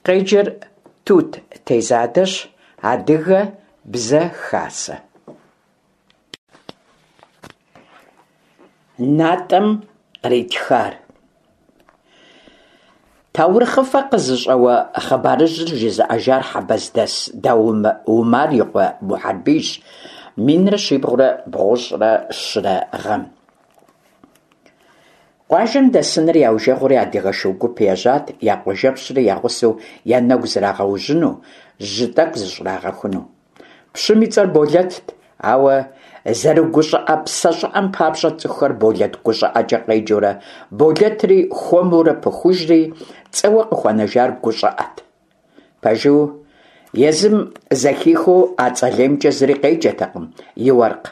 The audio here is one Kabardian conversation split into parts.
Къеджэр Тут Тезадэщ, Адыгэ бзэ хасэ. Натӏэм къритхар. Таурыхъыфэ къызыщӏэуэ хъыбарыжьыр жызыӏэжар хьэбэздэс Дау Умар и къуэ Мухьэрбийщ, 1393 гъэм. Къуажэм дэсыныр яужэгъури адыгэ шу гуп ежьат я къуажэпщри я гъусэу я нэгу зрагъэужьыну, жьы тӏэкӏу зыщӏрагъэхуну. Пщым и цӏэр Болэтт, ауэ зэрыгущӏыӏэ псэ щӏыӏэм папщӏэ цӏыхухэр Болэт гущӏыӏэкӏэ къеджэурэ, Болэтри хуэмурэ пыхужри, цӏэуэ къыхуэнэжар гущӏыӏэт. Пэжу, езым зэхихыу а цӏэ леймкӏэ зыри къеджэтэкъым, и уэркъ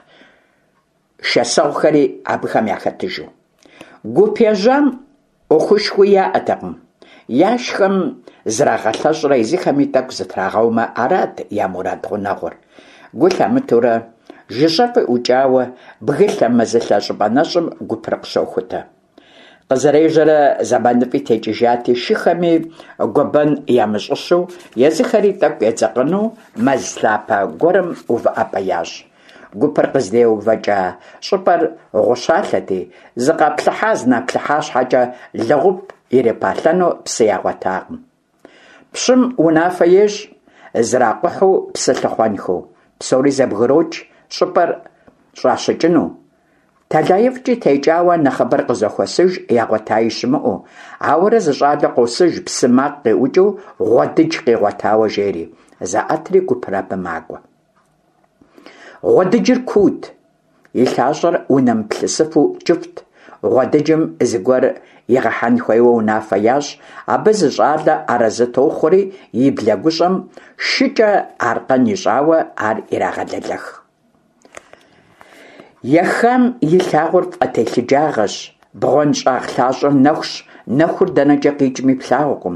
шэсэгъухэри абыхэм яхэтыжу. Гуп ежьам ӏуэхушхуи яӏэтэкъым. Яшхэм зрагъэлъэщӏрэ езыхэми тӏэкӏу зытрагъэумэ, арат я мурад гъунэгъур. Гу лъамытэурэ, жыжьэфӏи ӏукӏауэ, бгылъэ-мэзылъэ щӏыпӏэ нэщӏым гупыр къыщохутэ. Къызэрежьэрэ зэманыфӏи текӏыжати, шыхэми гуэбэн ямыщӏыщэу, езыхэри тӏэкӏу едзэкъэну мэз лъапэ гуэрым увыӏэпӏэ ящӏ. Гупыр къыздеувэкӏа щӏыпӏэр гъущалъэти, зыкъаплъыхьа-зынаплъыхьа щхьэкӏэ лэгъуп ирипалъэну псы ягъуэтакъым. Пщым унафэ ещӏ, зракъухьу псы лъыхъуэнхэу. Псори зэбгрокӏ, щӏыпӏэр щӏащыкӏыну. Тэлаифӏкӏи текӏауэ нэхъыбэр къызэхуэсыж, ягъуэтаи щымыӏэу. Ауэрэ зы щӏалэ къосыж, псы макъ къиӏукӏыу гъуэдыдж къигъуэтауэ жери. Заӏэтри гупыр абы макӏуэ. Гъуэдыджыр куут, и лъащӏэр унэмыплъысыфу кӏыфӏт. Гъуэдыджым зыгуэр игъэхьэн хуейуэ унафэ ящӏ, абы зы щӏалэ арэзы тохъуэри, и блэгущӏэм шыкӏэ аркъэн ищӏауэ ар ирагъэлэлэх. Ехам илъагъур фӏэтелъыджагъэщ, бгъуэнщӏагъ лъащӏэр нэхущ, нэхур дэнэкӏэ къикӏми плъагъукъым.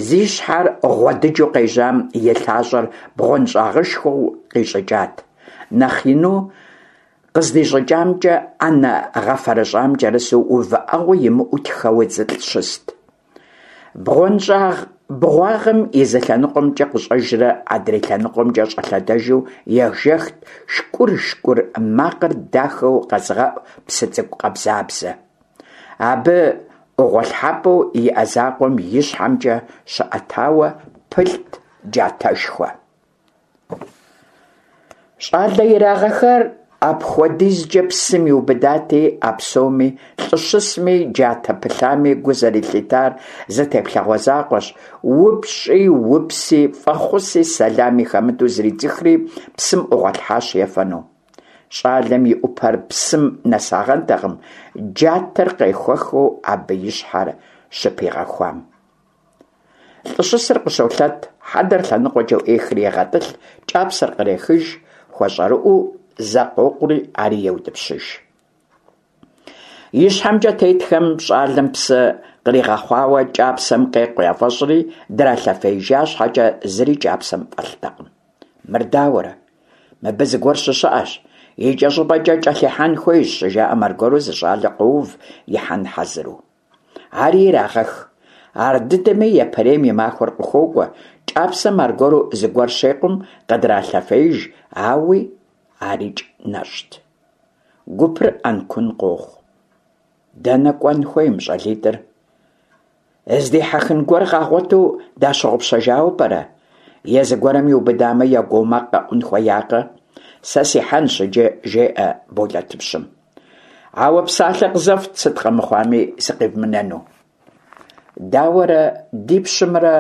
Зи щхьэр гъуэдыджу къежьам и лъащӏэр бгъуэнщӏагъышхуэу къищӏыкӏат. Нэхъ ину къыздищӏыкӏамкӏэ ӏэнэ гъэфэрыщӏам кӏэрысу увыӏэгъуэ имыӏэу тхэуэ зылӏ щыст. Бгъуэнщӏагъ бгъуагъым и зы лъэныкъуэмкӏэ къыщӏэжрэ адрей лъэныкъуэмкӏэ щӏэлъэдэжу ежэхт шкӏур-шкӏур макъыр дахэу къэзыгъэӏу псы цӏыкӏу къабзабзэ. Абы ӏугъуэлъхьэпӏэу иӏэ закъуэм и щхьэмкӏэ щыӏэтауэ пылът джатэшхуэ. Щӏалэ ирагъэхар апхуэдизкӏэ псым иубыдати, а псоми, лӏы щысми, джатэ пылъами гу зэрылъитар зы теплъэгъуэ закъуэщ, упщӏи, упси, фӏэхъуси, сэлами хэмыту зридзыхри, псым ӏугъуэлъхьащ ефэну. Щӏалэм и ӏупэр псым нэсагъэнтэкъым, джатэр къехуэхыу абы и щхьэр щыпигъэхуам. Лӏы щысыр къыщолъэт, хьэдэр лъэныкъуэкӏэ ӏуехри егъэтӏылъ, кӏапсэр кърехыж, хуэщӏэрыӏэу зэ къокъури ари еутӏыпщыж. Ищхьэмкӏэ тетхэм щӏалэм псы къригъэхъуауэ кӏапсэм къекъу яфӏэщӏри, дралъэфеижа щхьэкӏэ зыри кӏапсэм фӏэлътэкъым. Мыр дауэрэ? Мыбы зыгуэр щыщыӏэщ, икӏэщӏыпӏэкӏэ кӏэлъихьэн хуейщ, щыжаӏэм аргуэру зы щӏалэ къоув ихьэн хьэзыру. Ари ирагъэх. Ардыдэми япэрейм и махуэр къыхуокӏуэ, кӏапсэм аргуэру зыгуэр щекъум, къыдралъэфеиж, ауи арикӏ нэщӏт. Гупыр ӏэнкун къохъу. Дэнэ кӏуэн хуей мы щӏалитӏыр? Здихьэхын гуэр къагъуэту дащыгъупщэжауэ пӏэрэ? Е зыгуэрым иубыдамэ, я гуо макъ къэӏун хуеякъэ? Сэ сихьэнщ иджы, жеӏэ Болэтыпщым. Ауэ псалъэ къызэфт, сыт къэмыхъуами сыкъивмынэну. Дауэрэ ди пщымрэ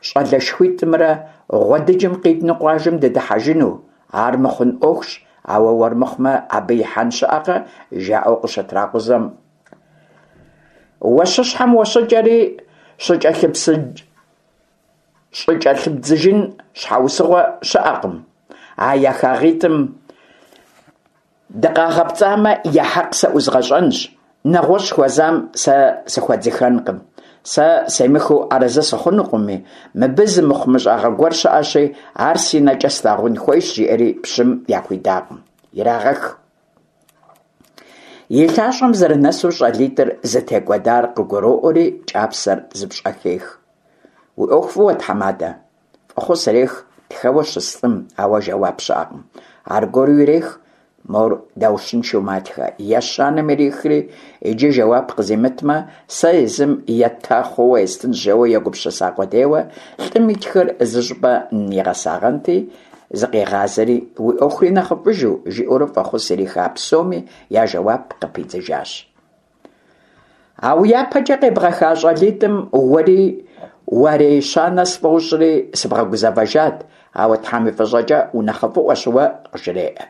щӏалэшхуитӏымрэ гъуэдыджым къидну къуажэм дыдыхьэжыну? Ар мыхъун ӏуэхущ, ауэ уэр мыхъумэ абы ихьэн щыӏэкъэ? жаӏэу къыщытракъузэм. Уэщыщхьэм уэщыкӏэри щӏыкӏэлъыбдзыжын щхьэусыгъуэ щыӏэкъым. А ехагъитӏым Дыкъагъэпцӏамэ, я хьэкъ сэ ӏузгъэщӏэнщ, нэгъуэщӏ хуэзам сэ сыхуэдзыхэнкъым. Сэ семыхыу арэзы сыхъунукъыми, мыбы зы мыхъумыщӏагъэ гуэр щыӏэщи, ар си нэкӏэ слъагъун хуейщ, жиӏэри пщым яхуидакъым. Ирагъэх. И лъащӏэм зэрынэсу щӏалитӏыр зытекӏуэдар къыгуроӏуэри, кӏапсэр зыпщӏэхех. Уи ӏуэху фӏыуэ, тхьэмадэ! Фӏэхъус ирех тхэуэ щыс лӏым, ауэ жэуап щыӏэкъым. Аргуэру ирех, мор даущыншэу матхэ. Ещанэм ирихри, иджы жэуап къызимытмэ, сэ езым етта хъууэ естынщ жэуэ егупсыса къудейуэ, лӏым и тхыр зыщӏыпӏэ нигъэсагъэнти, зыкъигъазэри, уи ӏуэхури нэхъыфӏыжу, жиӏэурэ фӏэхъус ириха псоми я жэуап къыпидзыжащ. А уи япэкӏэ къебгъэха щӏалитӏым уэри уареищанэ сфӏощӏри сыбгъэгузэвэжат, ауэ Тхьэм и фӏыщӏэкӏэ унэхъыфӏыӏуэщ уэ, къыжреӏэ.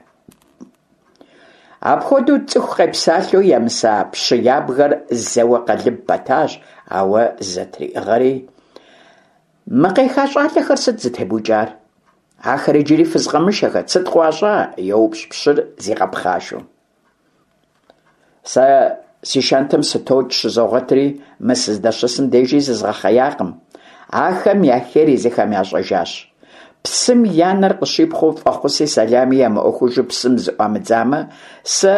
Апхуэдэу цӏыху къепсалъэу емыса пщы ябгэр зэуэ къэлыб пэтащ, ауэ зызэтриӏыгъэри. Мы къеха щӏалэхэр сыт зытебукӏар? Ахэр иджыри фызкъэмышэхэт, сыт къыуащӏа? еупщӏ пщыр зигъэпхъашэу. Сэ си шэнтым сытокӏ щызогъуэтри, мы сыздэщысым дежи зызгъэхъеякъым. Ахэм я хейр езыхэм ящӏэжащ. Псым я нэр къыщипхъуэу фӏэхъуси сэлами ямыӏуэхужу псым зыӏуамыдзамэ, сэ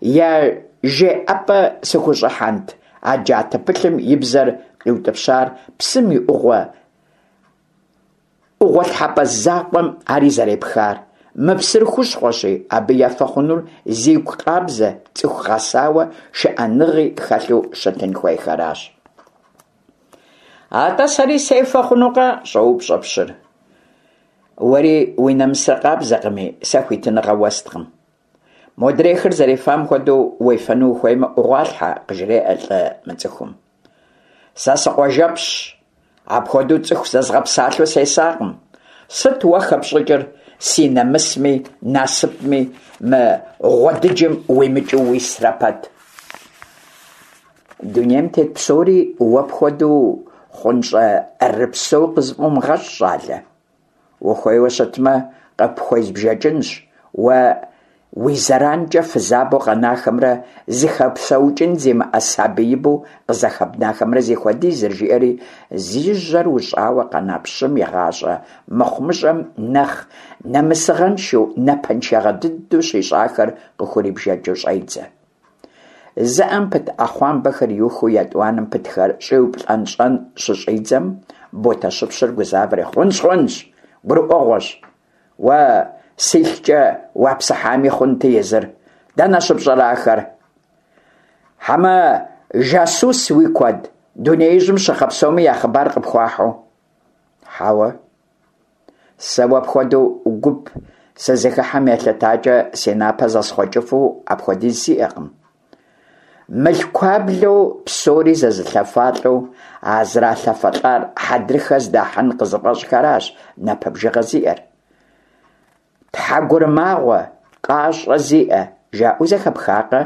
я жеӏэпӏэ сыхущӏыхьэнт, а джатэ пылъым и бзэр къиутӏыпщар псым и ӏугъуэ ӏугъуэлъхьэпӏэ закъуэм ари зэрепхар. Мы псыр хущхъуэщи, абы ефэ хъунур зигу къабзэ, цӏыху гъэсауэ, шыӏэныгъи хэлъу щытын хуейхэращ. Атӏэ сэри сефэ хъунукъэ? щӏоупщӏэ пщыр. Уэри уи нэмысыр къабзэкъыми, сэ хуитыныгъэ уэсткъым. Модрейхэр зэрефам хуэдэу уефэну ухуеймэ, ӏугъуалъхьэ, къыжреӏэ лӏы мыцӏыхум. Сэ сыкъуажэпщщ, апхуэдэу цӏыху зэзгъэпсалъэу сесакъым. Сыт уэ хэпщӏыкӏыр си нэмысми, насыпми мы гъуэдыджым уимыкӏыу уисрэ пэт? Дунейм тет псори уэ пхуэдэу хъунщӏэрыпсэу къызыфӏумыгъэщӏ, щӏалэ. Ухуейуэ щытмэ, къыпхуезбжэкӏынщ уэ уи зэранкӏэ фызабэу къэнахэмрэ зыхэпсэукӏын зимыӏэ сабиибэу къызэхэбнахэмрэ зихуэдизыр, жиӏэри, зи жьэр ущӏауэ къэна пщым и гъащӏэ мыхъумыщӏэм нэхъ нэмысыгъэншэу, напэншагъэ дыдэу щищӏахэр къыхурибжэкӏыу щӏедзэ. Зы ӏэм пыт ӏэхъуамбэхэр иухыу етӏуанэм пытхэр щӏиуплӏэнщӏэн щыщӏидзэм, Ботэщыпщыр гузавэри, Хъунщ, хъунщ, гурыӏуэгъуэщ. Уэ силъкӏэ уапсыхьами хъунти езыр. Дэнэ щыпщӏэрэ ахэр? Хьэмэ жасус уи куэд, дунеижьым щыхъэ псоми я хъыбар къыпхуахьу? Хьэуэ. Сэ уэ пхуэдэу гуп сызыхыхьэм елъытакӏэ си напэ зэсхъуэкӏыфу апхуэдиз сиӏэкъым. Мылъкуаблэу псори зэзылъэфалӏэу а зралъэфэлӏар хьэдрыхэ здахьын къызыфӏэщӏхэращ напэ бжыгъэ зиӏэр. Тхьэгурымагъуэ, къащӏэ зиӏэ, жаӏэу зэхэпхакъэ?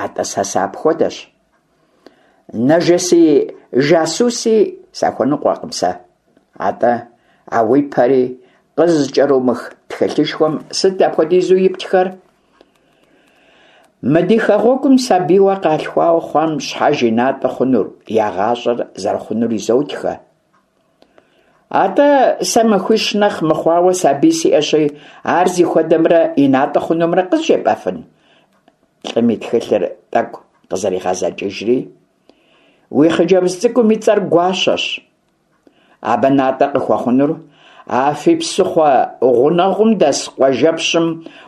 Атӏэ сэ сыапхуэдэщ. Нэжэси жасуси сахуэныкъуэкъым сэ. Атӏэ, а уи пэри къызыкӏэрумых тхылъышхуэм сыт апхуэдизу иптхэр? Мы ди хэгъуэгум сабийуэ къалъхуауэ хъуам щхьэж и натӏэ хъунур, я гъащӏэр зэрыхъунур изотхэ. Атӏэ, сэ махуищ нэхъ мыхъуауэ сабий сиӏэщи, ар зихуэдэмрэ и натӏэ хъунумрэ къызжепӏэфын? Лӏым и тхылъыр тӏэкӏу къызэригъэзэкӏыжри, Уи хъыджэбз цӏыкӏум и цӏэр Гуащэщ. Абы натӏэ къыхуэхъунур а фи псыхъуэ гъунэгъум дэс къуажэпщым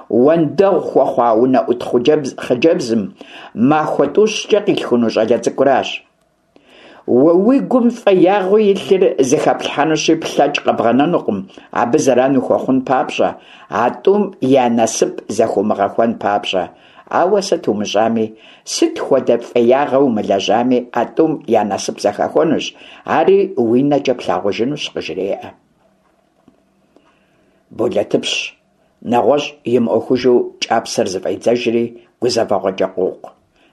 уэндэгъу хуэхъуа унэӏут хъыджэбзым махуэ тӏущкӏэ къилъхуну щӏалэ цӏыкӏуращ. Уэ уи гум фӏеягъэу илъыр зыхэплъхьэнущи, плъэкӏ къэбгъэнэнукъым абы зэран ухуэхъун папщӏэ, а тӏум я насып зэхыумыгъэхуэн папщӏэ. Ауэ сыт умыщӏами, сыт хуэдэ фӏеягъэ умылэжьами, а тӏум я насып зэхэхуэнущ, ари уи нэкӏэ плъагъужынущ, къыжреӏэ. Болэтыпщ нэгъуэщӏ имыӏуэхужу кӏапсэр зыфӏедзэжри гузэвэгъуэкӏэ къокъу.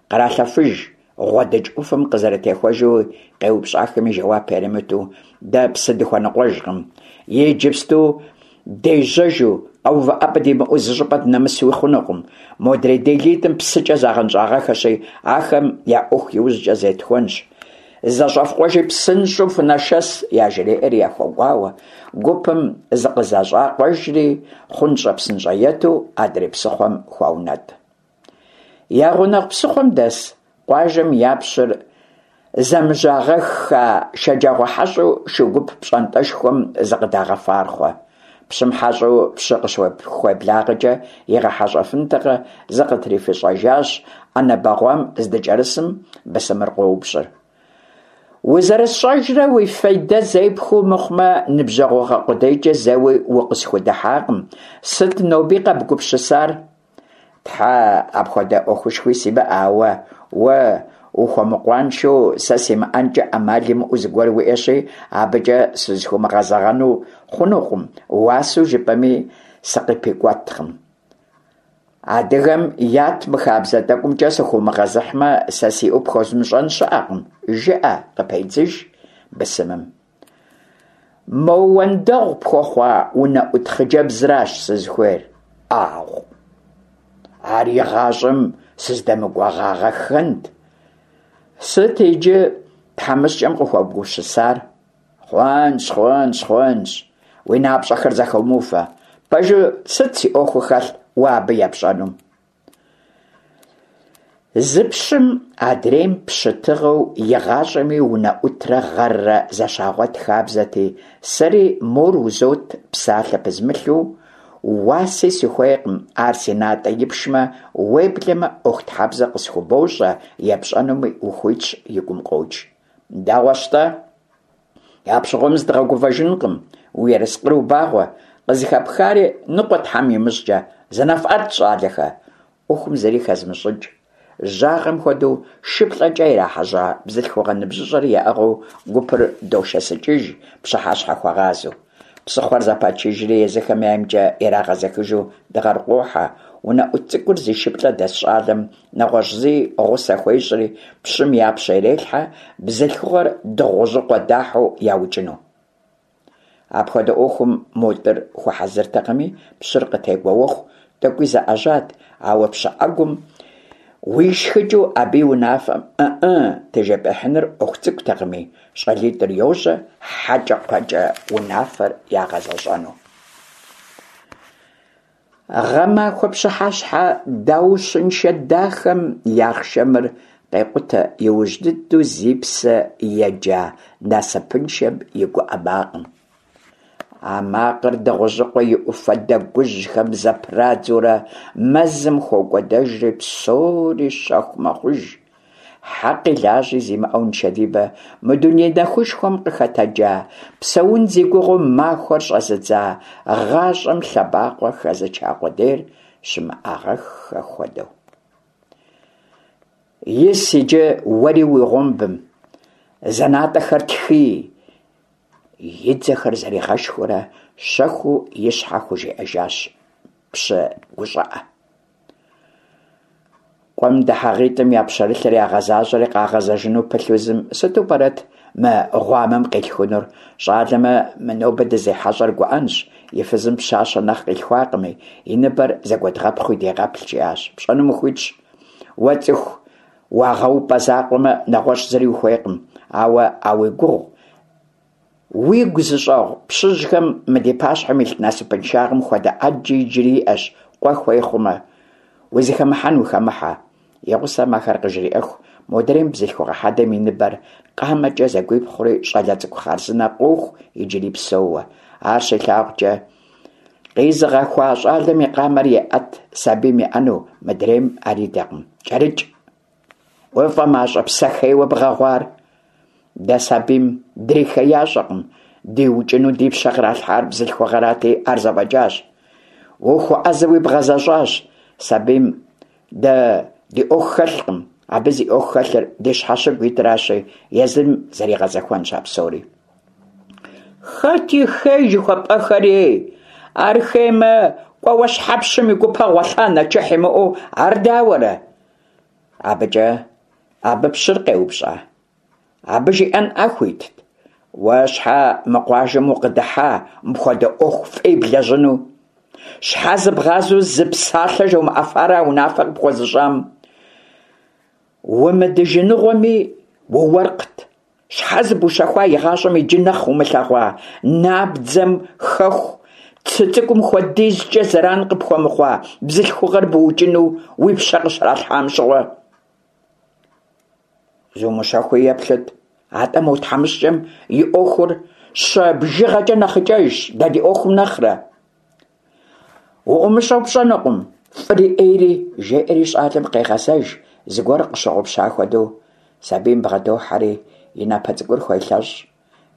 Къралъэфыж, гъуэдыдж ӏуфэм къызэрытехуэжуи къеупщӏахэми жэуап яримыту, дэ псы дыхуэныкъуэжкъым. Иджыпсту дежьэжу, къэувыӏэпӏэ димыӏэу зыщӏыпӏэ дынэмысуи хъунукъым. Модрей делитӏым псыкӏэ загъэнщӏагъэхэщи, ахэм я ӏуэху иужькӏэ зетхуэнщ. Зэщӏэфкъуэжи псынщӏэу фынэшэс, яжреӏэри яхуэгуауэ, гупым зыкъызэщӏакъуэжри, хъунщӏэ-псынщӏэету адрей псыхъуэм хуаунэтӏ. Я гъунэгъу псыхъуэм дэс къуажэм я пщыр. Зэмыжьагъэхха шэджагъуэ хьэщӏэу шу гуп пщӏантӏэшхуэм зыкъыдагъэфархъуэ. Пщым хьэщӏэу пщы къыщыхуеблагъэкӏэ игъэхьэщӏэфынтэкъэ, зыкъытрифыщӏэжащ, ӏэнэ бэгъуам здыкӏэрысым бысымыр къоупщӏыр. Узэрысщӏэжрэ уи фейдэ зепхуэу мыхъумэ, ныбжьэгъугъэ къудейкӏэ зэуи укъысхудыхьакъым. Сыт ноби къэбгупсысар? Тхьэ, апхуэдэ ӏуэхушхуи симыӏэ, ауэ уэ ухуэмыкъуаншэу сэ симыӏэнкӏэ ӏэмал имыӏэу зыгуэр уиӏэщи, абыкӏэ сызыхыумыгъэзэгъэну хъунукъым, уасэу жыпӏэми сыкъыпикӏуэткъым. Адыгэм ят мы хабзэ тӏэкӏумкӏэ сыхыумыгъэзыхьмэ, сэ сиӏэу пхуэзмыщӏэн щыӏэкъым, жыӏэ, къыпедзыж бысымым. Мо уэндэгъу пхуэхъуа унэӏут хъыджэбзращ сызыхуейр. ӏагъу! Ар игъащӏэм сыздэмыкӏуэгъагъэххэнт. Сыт иджы тхьэмыщкӏэм къыхуэбгупсысар? Хъунщ, хъунщ, хъунщ. Уи напщӏэхэр зэхыумыуфэ. Пэжу, сыт си ӏуэхуу хэлъ уэ абы епщӏэнум? Зы пщым адрейм пщы тыгъэу игъащӏэми унэӏутрэ гъэррэ зэщагъуэт хабзэти, сэри мор узот псалъэ пызмылъу, уаси сыхуейкъым, ар си натӏэ ипшмэ, уеблэмэ ӏуэхутхьэбзэ къысхубощӏэ, епщӏэнуми ухуитщ, и гум къокӏ. Дэгъуэщ-тӏэ? Апщыгъуэм зыдгъэгувэжынкъым, уи ерыскъыр убагъуэ, къызыхэпхари ныкъуэ Тхьэм имыщӏкӏэ, зынэфӏэт, щӏалэхэ! ӏуэхум зыри хэзмыщӏыкӏ. Жьагъэм хуэдэу шыплӏэкӏэ ирахьэжьа бзылъхугъэ ныбжьыщӏэр яӏыгъыу гупыр дошэсыкӏыж пщыхьэщхьэхуэгъазэу. Псыхъуэр зэпачыжри езыхэм яймкӏэ ирагъэзэхыжу дыгъэр къуохьэ, унэӏут цӏыкӏур зи шыплӏэ дэс щӏалэм нэгъуэщӏ зыи гъусэ хуещӏри, пщым я пщэ ирелъхьэ, бзылъхугъэр Дыгъужьыкъуэ дахьу яукӏыну. Апхуэдэ ӏуэхум мо тӏыр хуэхьэзыртэкъыми, пщыр къытегуэуэху тӏэкӏуи заӏэжьат, ауэ пщы ӏэгум уишхыкӏыу абы и унафэм ӏы-ӏы тежепӏыхьыныр ӏуэху цӏыкӏутэкъыми, щӏалитӏыр йожьэ хьэкӏэкхъуэкӏэ унафэр ягъэзэщӏэну. Гъэмахуэ пщыхьэщхьэ даущыншэ дахэм и ахъшэмыр къекъутэ иужь дыдэу зи псэ еджа насыпыншэм и гуӏэ макъым. А макъыр Дыгъужьыкъуэ и ӏуфэ дэгужьхэм зэпрадзурэ мэзым хокӏуэдэжри псори щэху мэхъуж. Хьэкъи лажьи зимыӏэу нышэдибэ мы дуней нэхушхуэм къыхэтэджа, псэун зи гугъэу махуэр щӏэзыдза гъащӏэм лъэбакъуэ хэзыча къудейр щымыӏагъэххэ хуэдэу. Ис иджы уэри уи гъумбым, зэнатӏэхэр тхий, и дзэхэр зэригъэшхыурэ щэхуу и щхьэ хужиӏэжащ пщы гущӏыӏэ. Къуэм дыхьагъитӏым я пщэрылъыр ягъэзащӏэри къагъэзэжыну пылъу зым, сыту пӏэрэт мы гъуамэм къилъхунур? Щӏалэмэ, мы нобэ дызихьэщӏэр гуӏэнщ, и фызым пщащэ нэхъ къилъхуакъыми, и ныбэр зэгуэдгъэпхъуи дегъэплъ, жиӏащ. Пщӏэнум ухуитщ. Уэ цӏыху уагъэупӏэ закъуэмэ, нэгъуэщӏ зыри ухуейкъым. Ауэ а уи гугъу Уигу зыщӏэгъу пщыжьхэм мы ди пащхьэм илъ насыпыншагъэм хуэдэ ӏэджи иджыри иӏэщ, къуэ хуей хъумэ. Узыхэмыхьэн ухэмыхьэ. И гъусэм ахэр къыжриӏэху, модрейм бзылъхугъэ хьэдэм и ныбэр къамэкӏэ зэгуипхъури щӏалэ цӏыкӏу хъарзынэ къоху иджыри псэууэ. Ар щилъагъукӏэ, къизыгъэхуа щӏалэм и къамэр еӏэт сабийм еӏэну, мыдрейм ар идэкъым. Кӏэрыкӏ! Уфӏэмащӏэ псэ хейуэ бгъэгъуар? Дэ сабийм дрихеящӏэкъым, диукӏыну ди пщэ къралъхьар бзылъхугъэрати, ар зэфӏэкӏащ. Ухуэӏэзэуи бгъэзэщӏащ. Сабийм дэ ди ӏуэху хэлъкъым, абы зи ӏуэху хэлъыр ди щхьэщыгу итращи, езым зэригъэзэхуэнщ а псори. Хэт и хей жыхуэпӏэхэрей? Ар хеймэ, кӏуэуэ щхьэ пщым и гупэ гъуэлъа нэчыхь имыӏэу, ар дауэрэ? Абыкӏэ абы пщыр къеупщӏа? Абы жиӏэнӏа хуитт? Уэ щхьэ мы къуажэм укъыдыхьа мыпхуэдэ ӏуэху фӏей блэжьыну? Щхьэ зыбгъазэу зы псалъэ жомыӏэфарэ а унафэ къыпхуэзыщӏам? Умыдыжыныгъуэми, ууэркът. Щхьэ зыбущэхуа игъащӏэм иджы нэхъ умылъэгъуа набдзэм хэху цы цӏыкӏум хуэдизкӏэ зэран къыпхуэмыхъуа бзылъхугъэр быукӏыну уи пщэ къыщралъхьам щыгъуэ? Зумыщэхуи еплъыт. Атӏэ мо тхьэмыщкӏэм и ӏуэхур щэ бжыгъэкӏэ нэхъыкӏэжщ дэ ди ӏуэхум нэхърэ. Уӏумыщӏэу пщӏэнукъым фӏыри ӏейри, жеӏэри щӏалэм къегъэзэж, зыгуэр къыщыгъупща хуэдэу. Сабийм бгъэдохьэри и напэ цӏыкӏур хуелъэщӏ.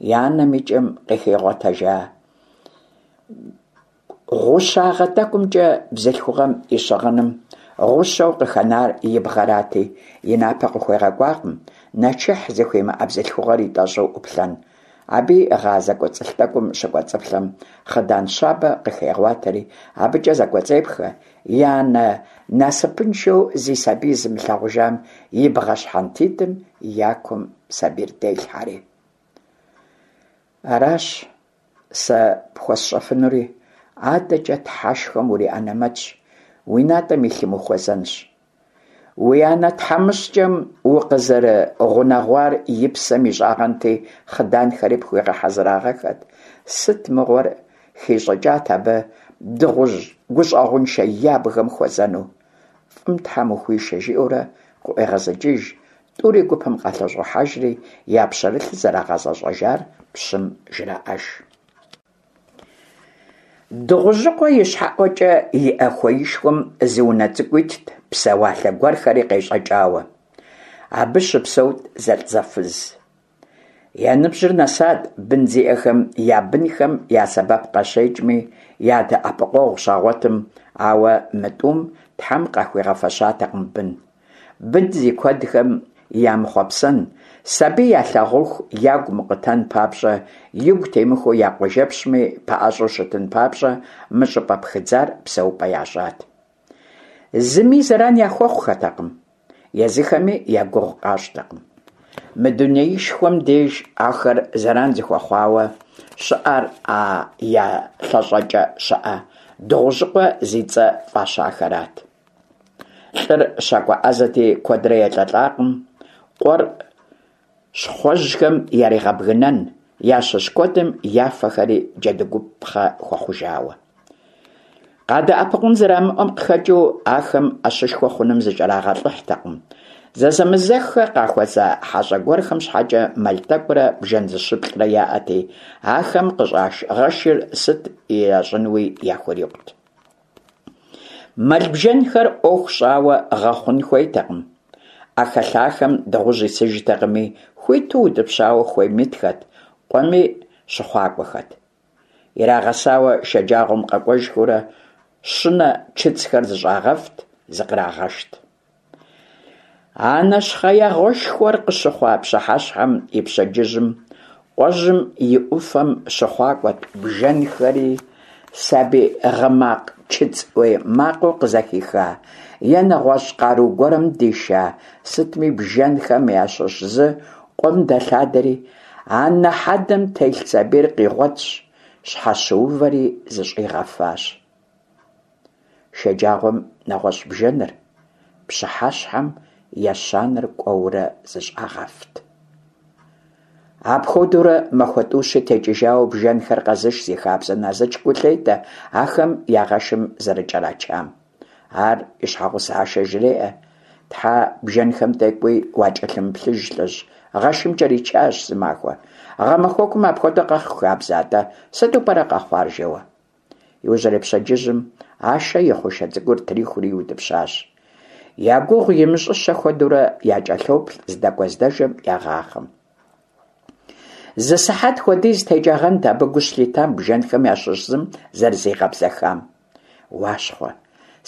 И анэм и кӏэм къыхигъуэтэжа гъущагъэ тӏэкӏумкӏэ бзылъхугъэм и щыгъыным гъущэу къыхэнар и бгъэрати, и напэ къыхуегъэкӏуакъым, нэчыхь зыхуимыӏэ бзылъхугъэр итӏэщӏу ӏуплъэн. Абы иӏыгъа зэкӏуэцӏылъ тӏэкӏум щыкӏуэцӏыплъэм, хъыдан щабэ къыхегъуатэри, абыкӏэ зэкӏуэцӏепхэ, и анэ насыпыншэу зи сабий зымылъагъужам и бгъэ щхьэнтитӏым я кум сабийр делъхьэри. Аращ сэ пхуэсщӏэфынури, адэкӏэ Тхьэшхуэм уриӏэнэмэтщ, уи натӏэм илъым ухуэзэнщ. Уи анэ тхьэмыщкӏэм укъызэрыгъунэгъуар и псэм ищӏагъэнти, хъыданхэри пхуигъэхьэзырагъэххэт. Сыт мыгъуэр хищӏыкӏат абы дыгъужь гущӏэгъуншэ ябгэм хуэзэну? Фӏым Тхьэм ухуишэ, жиӏэурэ къыӏуегъэзыкӏыж, тӏури гупым къалъэщӏохьэжри, я пщэрылъыр зэрагъэзэщӏэжар пщым жраӏэж. Дыгъужьыкъуэ ищхьэӏуэкӏэ иӏэ хуеишхуэм зы унэ цӏыкӏу итт, псэуалъэ гуэрхэри къещӏэкӏауэ. Абы щыпсэут зэлӏзэфыз. Я ныбжьыр нэсат бын зиӏэхэм я бынхэм я сэбэп къащекӏми, я дэӏэпыкъуэгъу щагъуэтым, ауэ мы тӏум Тхьэм къахуигъэфэщатэкъым бын. Бын зи куэдхэм ямыхъуэпсэн, сабий ялъагъуху ягу мыкъутэн папщӏэ, игу темыхуэу я къуажэпщми пэӏэщӏэу щытын папщӏэ мы щӏыпӏэ пхыдзар псэупӏэ ящӏат. Зыми зэран яхуэхъухэтэкъым, езыхэми я гугъу къащӏтэкъым. Мы дунеишхуэм деж ахэр зэран зыхуэхъуауэ щыӏэр а я лъэщӏэкӏэ щыӏэ Дыгъужьыкъуэ зи цӏэ фӏащахэрат. Лӏыр щакӏуэ ӏэзэти, куэдрэ елӏэлӏакъым, къуэр щхъуэжьхэм яригъэбгынэн, ящыщ куэдым я фэхэри джэдыгупхъэ хуэхъужауэ. Къадэӏэпыкъун зэрамыӏэм къыхэкӏыу, ахэм ӏэщышхуэ хъуным зыкӏэрагъэлӏыхьтэкъым. Зэзэмызэххэ къахуэза хьэщӏэ гуэрхэм щхьэкӏэ мэл тӏэкӏурэ бжэн зыщыплӏрэ яӏэти, ахэм къыщӏаш гъэшыр сыт ящӏынуи яхурикъут. Мэл-бжэнхэр ӏуэху щӏауэ гъэхъун хуейтэкъым. ӏэхэлъахэм дыгъужь исыжтэкъыми, хуиту утӏыпщауэ хуейм итхэт, къуэми щыхъуакӏуэхэт. Ирагъэсауэ шэджагъуэм къэкӏуэжхэурэ щынэ чыцӏхэр зыщӏагъэфт, зыкърагъэшт. А нэщхъеягъуэшхуэр къыщыхъуа пщыхьэщхьэм и пщэдджыжьым къуэжьым и ӏуфэм щыхъуакӏуэт бжэнхэри, сабий гъы макъ чыцӏ ӏуей макъыу къызэхиха е нэгъуэщӏ къару гуэрым диша сытми бжэнхэм ящыщ зы къуэм дэлъадэри, анэ хьэдэм телъ сабийр къигъуэтщ, щхьэщыувэри зыщӏигъэфащ. Шэджагъуэм нэгъуэщӏ бжэныр, пщыхьэщхьэм ещанэр кӏуэурэ зыщӏагъэфт. Апхуэдэурэ махуэ тӏущи текӏыжауэ бжэнхэр къэзыш зи хабзэ Назыч гу лъетэ ахэм я гъэшым зэрыкӏэрачам. Ар и щхьэгъусэ Ашэ жреӏэ: Тхьэ, бжэнхэм тӏэкӏуи уакӏэлъымыплъыж, лӏыжь, гъэшым кӏэричащ зымахуэ. Гъэмахуэкум апхуэдэу къэхъу хабзэ атӏэ, сыту пӏэрэ къэхъуар жэуэ. Иужьрей пщэдджыжьым Ашэ и хъушэ цӏыкӏур трихури иутӏыпщащ. Я гугъу имыщӏыщэ хуэдэурэ якӏэлъоплъ здэкӏуэ-здэжэм ягъахъэм. Зы сыхьэт хуэдиз текӏагъэнт абы гу щылъитам бжэнхэм ящыщ зым зэрызигъэбзэхам. Уащхъуэ,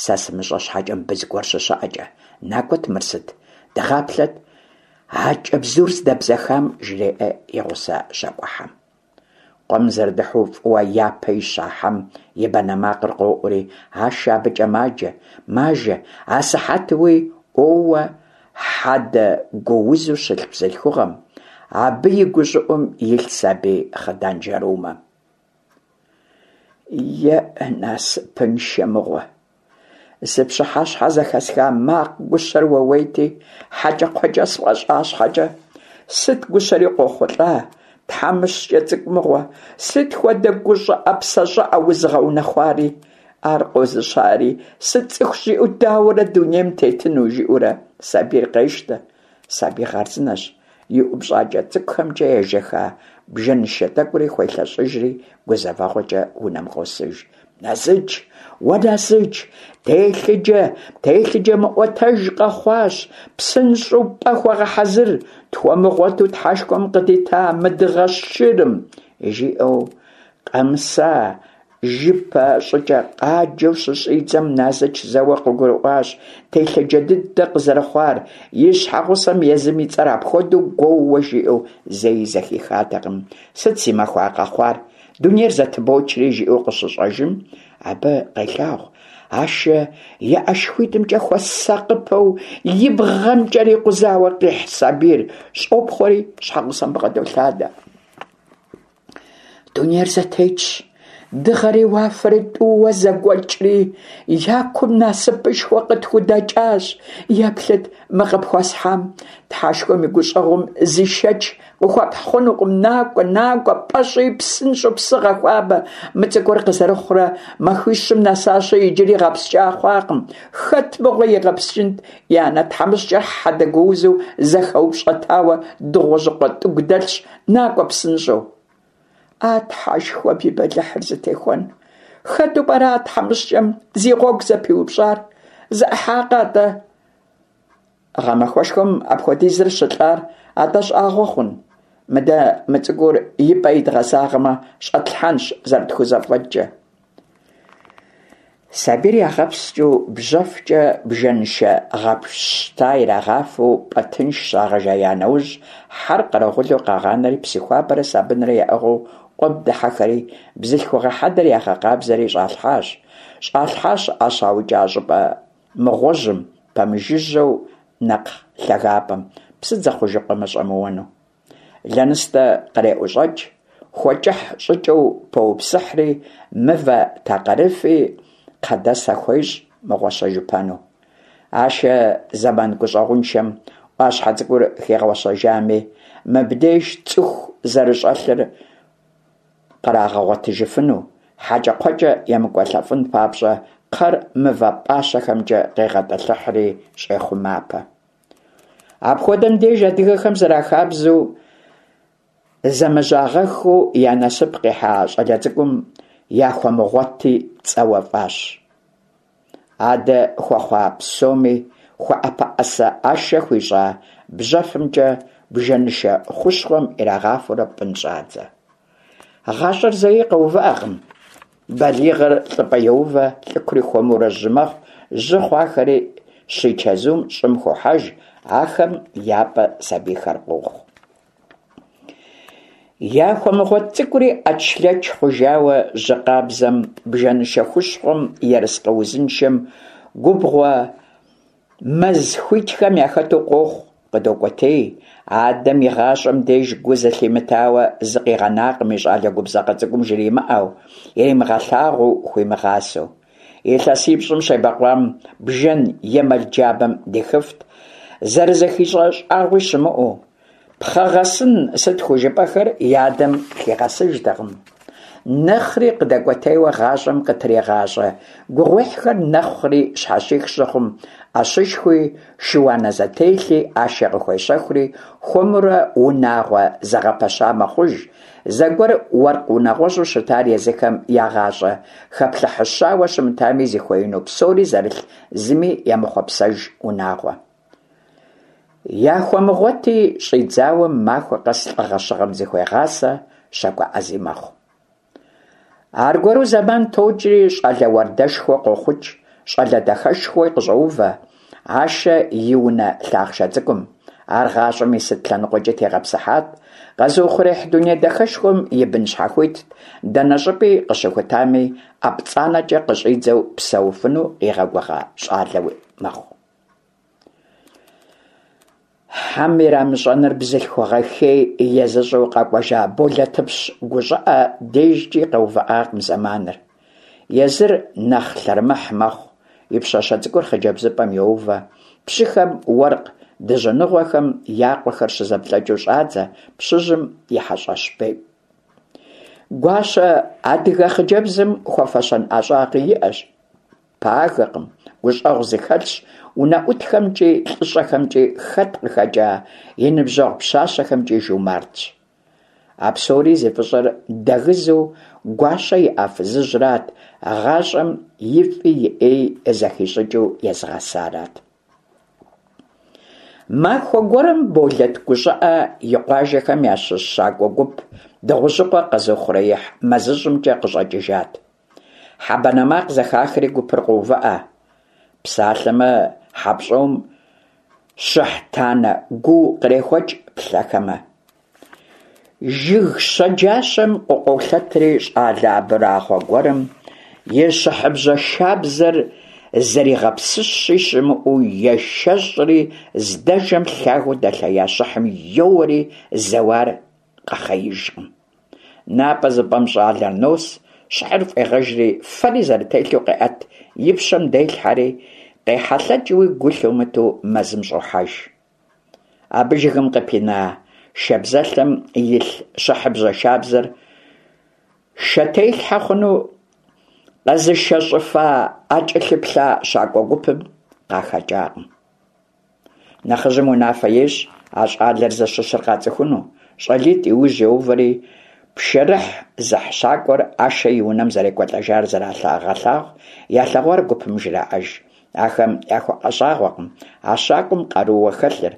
сэ сымыщӏэ щхьэкӏэ мыбы зыгуэр щыщыӏэкӏэ, накӏуэт мыр сыт, дыгъаплъэт, а кӏэбзур здэбзэхам, жреӏэ и гъусэ щакӏуэхьэм. Къуэм зэрыдыхьэу фӏыуэ япэ ища хьэм и банэ макъыр къоӏури, Ашэ абыкӏэ маджэ, мажэ, асыхьэтуи ӏуоуэ хьэдэ гуузу щылъ бзылъхугъэм, абы и гущӏыӏум илъ сабий хъыдан жэрумэм. Еӏ, насыпыншэ мыгъуэ! Зы пщыхьэщхьэ зэхэсха макъ гущэр уэуейти, хьэкӏэкхъуэкӏэ сфӏэщӏа щхьэкӏэ, сыт гущэри къохъулӏа, тхьэмыщкӏэ цӏыкӏу мыгъуэ, сыт хуэдэ гу щӏыӏэ псэ щӏыӏэ узыгъэунэхъуари, ар къозыщари, сыцӏыхущ жиӏэу дауэрэ дунейм тетыну, жиӏэурэ сабийр къещтэ. Сабий хъарзынэщ, и ӏупщӏакӏэ цӏыкӏухэмкӏэ ежэха бжэнышэ тӏэкӏури хуелъэщӏыжри, гузэвэгъуэкӏэ унэм къосыж. Назыч! Уэ, Назыч! Телъыджэ, телъыджэ мыӏуэтэж къэхъуащ! Псынщӏэу пӏэ хуэгъэхьэзыр, тхуэмыгъуэту Тхьэшхуэм къыдита мы дыгъэ шырым! жиӏэу къэмыса жыпэ щӏыкӏэ къаджэу щыщӏидзэм Назыч зэуэ къыгурыӏуащ телъыджэ дыдэ къызэрыхъуар, и щхьэгъусэм езым и цӏэр апхуэдэу гуоууэ жиӏэу зэи зэхихатэкъым. Сыт си махуа къэхъуар? Дунейр зэтыбочри, жиӏэу къыщыщӏэжым, абы къелъагъу Ашэ и ӏэшхуитӏымкӏэ хуэсакъыпэу и бгъэм кӏэрикъузауэ къихь сабийр щӏопхъуэри щхьэгъусэм бгъэдолъадэ. Дунейр зэтетщ, дыгъэри уафэри тӏууэ зэгуэкӏри, я кум насыпышхуэ къытхудэкӏащ. Еплъыт мы къыпхуэсхьам, Тхьэшхуэм и гущӏэгъум зы шэч къыхуэпхь хъунукъым. Накӏуэ, накӏуэ, пӏэ щӏи, псынщӏэу псы гъэхуабэ. Мы цӏыкӏур къызэрыхъурэ махуищым нэсащи, иджыри гъэпскӏа хъуакъым. Хэт мыгъуэ игъэпскӏынт, и анэ тхьэмыщкӏэр хьэдэ гуузу зэхэупщӏэтауэ Дыгъужьыкъуэ тӏыгу дэлъщ. Накӏуэ псынщӏэу. А Тхьэшхуэм и бэлыхьыр зытехуэн. Хэту пӏэрэ а тхьэмыщкӏэм зи гъуэгу зэпиупщӏар? Зэӏыхьакъэ атӏэ? Гъэмахуэшхуэм апхуэдизыр щылӏар атӏэ щӏагъуэ хъун? Мыдэ мы цӏыкӏур и пӏэ идгъэзагъэмэ, щӏэтлъхьэнщ зэрытхузэфӏэкӏкӏэ. Сабийр ягъэпскӏыу, бжьэфкӏэ бжэнышэ гъэпщта ирагъафэу пӏэ тынш щагъэжея нэужь, хьэр къэрэгъулу къагъанэри псы хуабэрэ сабынрэ яӏыгъыу къуэм дыхьэхэри, бзылъхугъэ хьэдэр ягъэкъабзэри щӏалъхьащ. Щӏалъхьащ а щаукӏа щӏыпӏэ мыгъуэжьым, пэмыжыжьэу нэпкъ лъагапӏэм, псыдзэ хъужыкъуэмэ щӏэмыуэну. Лэныстэ къреӏущӏэкӏ, хуэкӏыхь щӏыкӏэу поупсыхьри, мывэ такъырыфи кхъэдэсэ хуещӏ мыгъуэщэжыпэну. Ашэ зэман гущӏэгъуншэм ӏуащхьэ цӏыкӏур хигъуэщэжами, мыбдеж цӏыху зэрыщӏэлъыр кърагъэгъуэтыжыфыну, хьэкӏэкхъуэкӏэ емыкӏуэлӏэфын папщӏэ кхъэр мывэ пӏащэхэмкӏэ къегъэтӏылъыхьри щӏехъумапэ. Апхуэдэм деж адыгэхэм зэрахабзэу, зэмыжьагъэххэу я насып къихьа щӏалэ цӏыкӏум Яхуэмыгъуэти цӏэуэ фӏащ. Адэ хуэхъуа псоми хуэӏэпэӏэсэ Ашэ хуищӏа бжьэфымкӏэ бжэнышэ хущхъуэм ирагъафэурэ пӏын щӏадзэ. Гъащӏэр зэи къэувыӏэкъым. Балигъыр лӏыпӏэ йоувэ, лӏыкури хуэмурэ жьы мэхъу, жьы хъуахэри щичэзум щӏым хохьэж, ахэм я пӏэ сабийхэр къохъу. Яхуэмыгъуэт цӏыкӏури ӏэчлъэч хъужауэ жьы къабзэм, бжэнышэ хущхъуэм, ерыскъы узыншэм, губгъуэ мэз хуитхэм яхэту къохъу, къыдокӏуэтей. Адэм и гъащӏэм деж гу зылъимытауэ зы къигъэнакъым и щӏалэ губзыгъэ цӏыкӏум жримыӏэу, иримыгъэлъагъуу, хуимыгъасэу. Илъэсипщӏым щебэкъуам бжэн е мэл джабэм дихыфт, зэрызэхищӏэ щӏагъуи щымыӏэу. Пхъэгъэсын сыт хужыпӏэхэр и адэм лъигъэсыжтэкъым. Нэхъри къыдэкӏуэтейуэ гъащӏэм къытригъащӏэ гугъуехьхэр нэхъри щхьэщих щыхъум, ӏэщышхуи, шы-уанэ зэтелъи Ашэ къыхуещэхури, хуэмурэ унагъуэ зэгъэпэща мэхъуж, зэгуэр уэркъ унагъуэжьу щытар езыхэм я гъащӏэ хэплъыхьыщауэ щымытами зыхуеину псори зэрылъ зыми емыхъуэпсэж унагъуэ. Яхуэмыгъуэти щӏидзауэ махуэ къэс лӏыгъэ щыгъэм зыхуегъасэ, щакӏуэ ӏэзи мэхъу. Аргуэру зэман токӏри, щӏалэ уардэшхуэ къохъукӏ, щӏалэ дахэшхуи къыщӏоувэ Ашэ и унэ лъахъшэ цӏыкӏум. Ар гъащӏэм и сыт лъэныкъуэкӏи тегъэпсыхьат, къэзыухъуреихь дуней дахэшхуэм и бын щхьэхуитт, дэнэ щӏыпӏи къыщыхутами, ӏэ пцӏанэкӏэ къыщӏидзэу псэуфыну къигъэгугъа щӏалэуи мэхъу. Хьэм ирамыщӏэныр бзылъхугъэ хей езыщӏу къэкӏуэжа Болэтыпщ гущӏыӏэ дежкӏи къэувыӏакъым зэманыр. Езыр нэхъ лъэрымыхь мэхъу, и пщащэ цӏыкӏур хъыджэбзыпӏэм йоувэ, пщыхэм уэркъ дыжьыныгъуэхэм я къуэхэр щызэблэкӏыу щӏадзэ пщыжьым и хьэщӏэщ бейм. Гуащэ адыгэ хъыджэбзым хуэфэщэн ӏэщӏагъи иӏэщ. Пагэкъым, гущӏэгъу зыхэлъщ, унэӏутхэмкӏи, лӏыщӏэхэмкӏи, хэт къыхэкӏа и ныбжьэгъу пщащэхэмкӏи жумартщ. А псори зи фӏыщӏэр дэгызэу гуащэ иӏа фызыжьрат, гъащӏэм и фӏи и ӏеи зэхищӏыкӏыу езыгъэсарат. Махуэ гуэрым Болэт гущӏыӏэ и къуажэхэм ящыщ щакӏуэ гуп Дыгъужьыкъуэ къэзыухъуреихь мэзыщӏымкӏэ къыщӏэкӏыжат. Хьэ банэ макъ зэхахри гупыр къоувыӏэ. Псалъэмэ, хьэпщӏом щыхь танэ гуу кърехуэкӏ плъэхэмэ. Жыг щэджащэм къыкъуолъэтри щӏалэ абрагъуэ гуэрым и щыхьыбжьэ шабзэр зэригъэпсыщи щымыӏэу ешэщӏри здэжэм лъагэу дэлъея щыхьым йоуэри зэуар къэхъеижкъым. Напӏэ зыпӏэм щӏалэр нос, щыхьыр фӏегъэжри, фэри зэрытелъу къеӏэт, и пщэм делъхьэри, къехьэлъэкӏыуи гу лъумытэу мэзым щӏохьэж. Абы жыгым къыпина шабзэлъэм илъ щыхьыбжьэ шабзэр шэтелъхьэ хъуну къэзышэщӏыфа а кӏэлъыплъа щакӏуэ гупым къахэкӏакъым. Нэхъыжьым унафэ ещӏ а щӏалэр зыщыщыр къацӏыхуну. Щӏалитӏ и ужь йоувэри, пшэрыхь зыхь щакӏуэр Ашэ и унэм зэрекӏуэлӏэжар зрагъэлъагъу, ялъэгъуар гупым жраӏэж. Ахэм яхуэгъэщӏагъуэкъым а щакӏуэм къарууэ хэлъыр,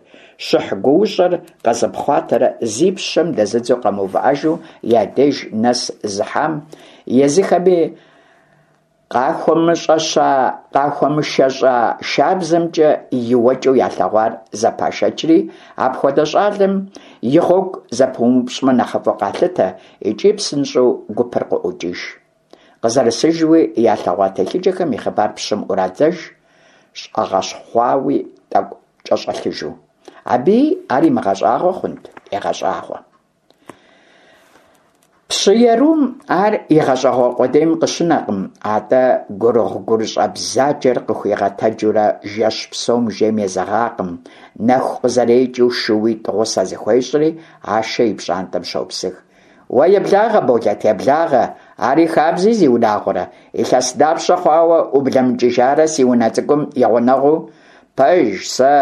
щыхь гуущӏэр къэзыпхъуатэрэ зи пщэм дэзыдзэу къэмыувыӏэжу я деж нэс зыхьам, езыхэми къахуэмышэщӏа шабзэмкӏэ иуэкӏэу ялъэгъуар зэпашэчри, апхуэдэ щӏалэм и гъуэгу зэпумыупщӏмэ нэхъыфӏу къалъытэ икӏи псынщӏэу гупыр къыӏуокӏыж. Къызэрысыжуи ялъэгъуа телъыджэхэм и хъыбар пщым ӏурадзэж, щӏэгъэщхъуауи тӏэкӏу кӏэщӏэлъыжу. Абыи ар имыгъэщӏагъуэ хъунт, егъэщӏагъуэ. Пщы ерум ар игъэщӏэгъуэ къудейм къыщынэкъым, атӏэ гурыгъу-гурыщӏэ бзаджэр къыхуигъэтэджурэ жэщ псом жейм езэгъакъым, нэху къызэрекӏыу шууитӏ гъусэ зыхуещӏри, Ашэ и пщӏантӏэм щопсых. Уэ еблагъэ, Болэт, еблагъэ, ари хабзи, зиунагъуэрэ, илъэс дапщэ хъуауэ ублэмыкӏыжарэ си унэ цӏыкӏум и гъунэгъуу? Пэж, сэ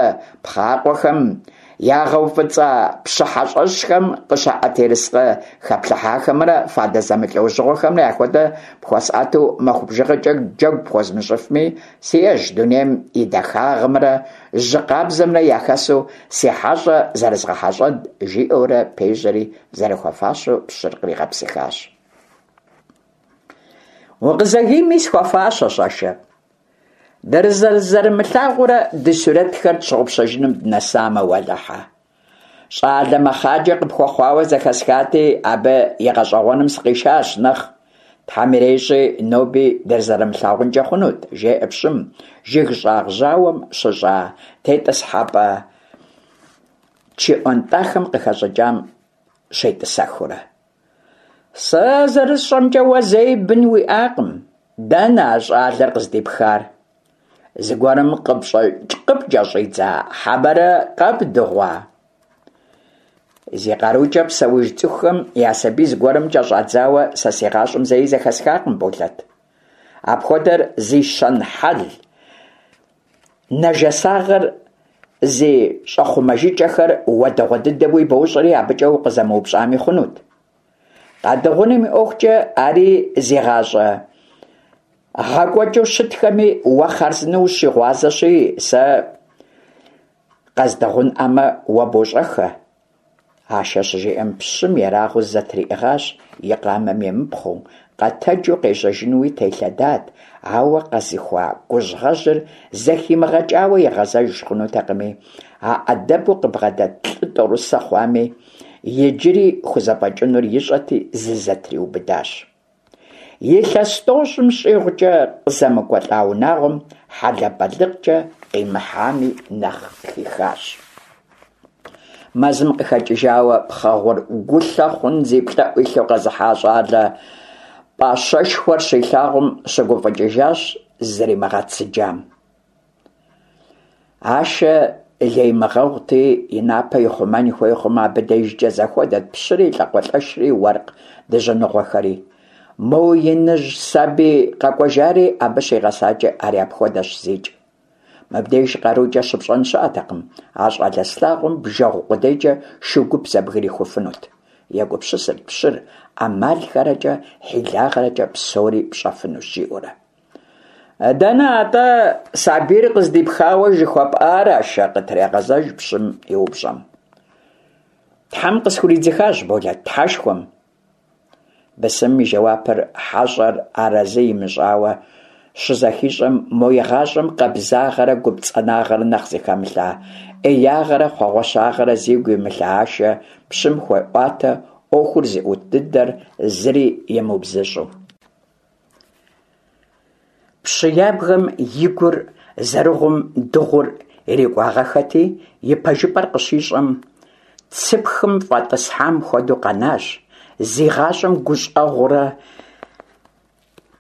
пхъакъуэхэм ягъэуфӏыцӏа пщы хьэщӏэщхэм къыщаӏэт ерыскъы хэплъыхьахэмрэ фадэ зэмылӏэужьыгъуэхэмрэ яхуэдэ пхуэсӏэту махуэ бжыгъэкӏэ джэгу пхуэзмыщӏыфми, сиӏэщ дунейм и дахагъымрэ жьы къабзэмрэ яхэсу си хьэщӏэ зэрызгъэхьэщӏэн, жиӏэурэ пежьэри зэрыхуэфащэу пщыр къригъэпсыхащ. Укъызэгийми схуэфащэщ, Ашэ. Дызэрызэрымылъагъурэ ди сурэтхэр тщыгъупщэжыным дынэсамэ, уэлэхьэ. Щӏалэ мэхъаджэ къыпхуэхъуауэ зэхэсхати, абы и гъэщӏэгъуэным сыкъишащ нэхъ. Тхьэм ирещӏи, ноби дызэрымылъагъункӏэ хъунут, жеӏэ пщым, жыг щӏагъ жьауэм щыщӏа тетӏысхьэпӏэ чы ӏуэнтӏахэм къыхэщӏыкӏам щетӏысэхыурэ. Сэ зэрысщӏэмкӏэ, уэ зэи бын уиӏакъым. Дэнэ а щӏалэр къыздипхар? Зыгуэрым къыпкӏэщӏидза хьэмэрэ къэбдыгъуа? Зи къарукӏэ псэуж цӏыхухэм я сабий зыгуэрым кӏэщӏадзауэ сэ си гъащӏэм зэи зэхэсхакъым, Болэт. Апхуэдэр зи щэн-хьэл, нэжэсагъэр зи щӏэхъумэжыкӏэхэр уэ дэгъуэ дыдэуи бощӏэри, абыкӏэ укъызэмыупщӏами хъунут. Къадыгъуным и ӏуэхукӏэ ари зи гъащӏэ гъэкӏуэкӏыу щытхэми уэ хъарзынэу ущигъуазэщи, сэ къэздыгъунӏэмэ, уэ бощӏэххэ. Ашэ щыжиӏэм, пщым ерагъыу зызэтриӏыгъащ, и къамэм емыпхъуэу, къэтэджу къежьэжынуи телъэдат, ауэ къэзыхуа гужьгъэжьыр зэхимыгъэкӏауэ игъэзэж хъунутэкъыми, а ӏэдэбу къыбгъэдэт лӏы тӏорысэ хъуами, иджыри хузэфӏэкӏынур ищӏэти, зызэтриубыдащ. Илъэс тӏощӏым щӏигъукӏэ къызэмыкӏуэлӏа унагъуэм хьэлэбэлыкъкӏэ къимыхьами нэхъ къыхихащ. Мэзым къыхэкӏыжауэ пхъэ гъур гулъэ хъун зи плӏэӏу илъу къэзыхьа щӏалэ пӏащэшхуэр щилъагъум щыгуфӏыкӏыжащ зызэримыгъэцыджам. Ашэ леймыгъэгъути, и напэ ихъумэн хуей хъумэ, абы дежкӏэ зэхуэдэт пщыри, лӏакъуэлӏэшри, уэркъ дыжьыныгъуэхэри. Мо иныжь сабий къэкӏуэжари абы щигъэсакӏэ ари апхуэдэщ зикӏ. Мыбдеж къарукӏэ щыпщӏэн щыӏэтэкъым, а щӏалэ слъагъум бжэгъу къудейкӏэ шу гуп зэбгрихуфынут. Егупсысырт пщыр, ӏэмалхэрэкӏэ, хьилагъэрэкӏэ псори пщӏэфынущ, жиӏэурэ. Дэнэ атӏэ сабийр къыздипхауэ жыхуэпӏар, Ашэ? къытрегъэзэж пщым и упщӏэм. Тхьэм къысхуридзыхащ, Болэт, Тхьэшхуэм. Бысымым и жэуапыр хьэщӏэр арэзы имыщӏауэ щызэхищӏэм, мо игъащӏэм къабзагъэрэ гупцӏанагъэрэ нэхъ зыхэмылъа, ӏеягъэрэ хъуэгъуэщагъэрэ зигу имылъа Ашэ пщым хуеӏуатэ ӏуэхур зыӏут дыдэр зыри имыубзыщӏу. Пщы ябгэм и гур зэрыгъум дыгъур ирикӏуагъэххэти, и пэжыпӏэр къыщищӏэм, цыпхым фӏэтӏысхьам хуэдэу къэнащ, зи гъащӏэм гущӏэгъурэ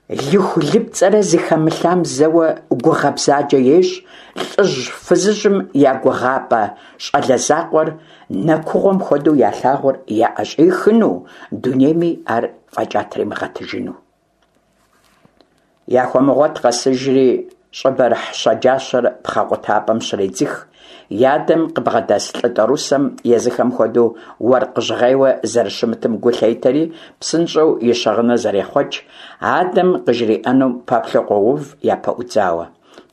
лыху-лыпцӏэрэ зыхэмылъам зэуэ гугъэ бзаджэ ещӏ, лӏыжь-фызыжьым я гугъапӏэ щӏалэ закъуэр нэкугъуэм хуэдэу ялъагъур яӏэщӏихыну, дунейми ар фӏэкӏа тримыгъэтыжыну. Яхуэмыгъуэт къэсыжри, щӏыбэрыхь щэджащэр пхъэ къутапӏэм щредзых, и адэм къыбгъэдэс лӏы тӏорысэм езыхэм хуэдэу уэркъ жьгъейуэ зэрыщымытым гу лъетэри, псынщӏэу и щыгъыныр зэрехъуэкӏ, адэм къыжриӏэнум пэплъэу къоув япэӏудзауэ.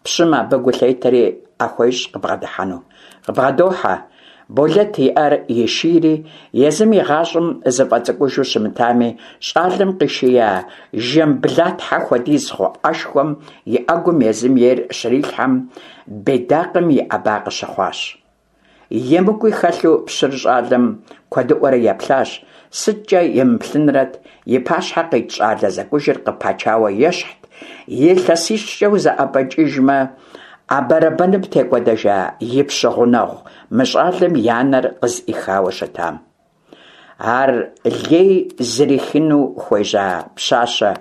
Пщым абы гу лъетэри ӏэ хуещӏ къыбгъэдыхьэну. Къыбгъэдохьэ. Болэт и ӏэр ешийри, езым и гъащӏэм зыфӏэцӏыкӏужу щымытами, щӏалэм къишия жэм блатхьэ хуэдиз хъу ӏэшхуэм и ӏэгум езым ейр щрилъхьэм, бедакъым иӏэба къыщыхъуащ. Емыкӏуи хэлъу пщыр щӏалэм куэдыӏуэрэ еплъащ, сыткӏэ емыплъынрэт, и пащхьэ къит щӏалэ зэкӏужыр къыпачауэ ещхьт, илъэсищкӏэ узэӏэбэкӏыжмэ, а бэрэбэным текӏуэдэжа и пщы гъунэгъу мы щӏалэм и анэр къызыӏихауэ щытам. Ар лей зрихыну хуежьа пщащэ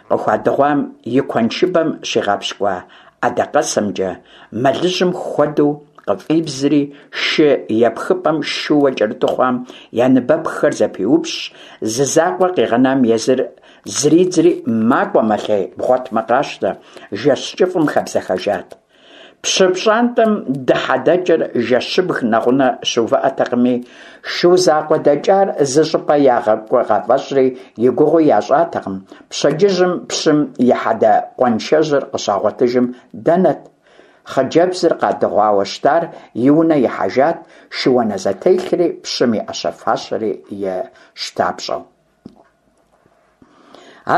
къыхуадыгъуам и куэншыбэм щигъэпщкӏуа ӏэдакъэсэмкӏэ мэлыжьым хуэдэу къыфӏибзри, шы епхыпӏэм шууэ кӏэрыту хъуам я ныбэпххэр зэпиупщӏщ, зы закъуэ къигъэнам езыр зридзри, макӏуэ-мэлъей, бгъуэтмэ къащтэ, жэщ кӏыфӏым хэбзэхэжат. Пщы пщӏантӏэм дыхьэ-дэкӏыр жэщыбг нэгъунэ щыувыӏэтэкъыми, шу закъуэ дэкӏар зы щӏыпӏэ ягъэкӏуэ къафӏэщӏри и гугъуи ящӏатэкъым, пщэдджыжьым пщым и хьэдэ къуаншэжьыр къыщагъуэтыжым дэнэт? Хъыджэбзыр къадыгъуауэ щытар и унэ ихьэжат, шыуанэ зэтелъри пщым и ӏэщэ-фащэри и щтапщӏэу.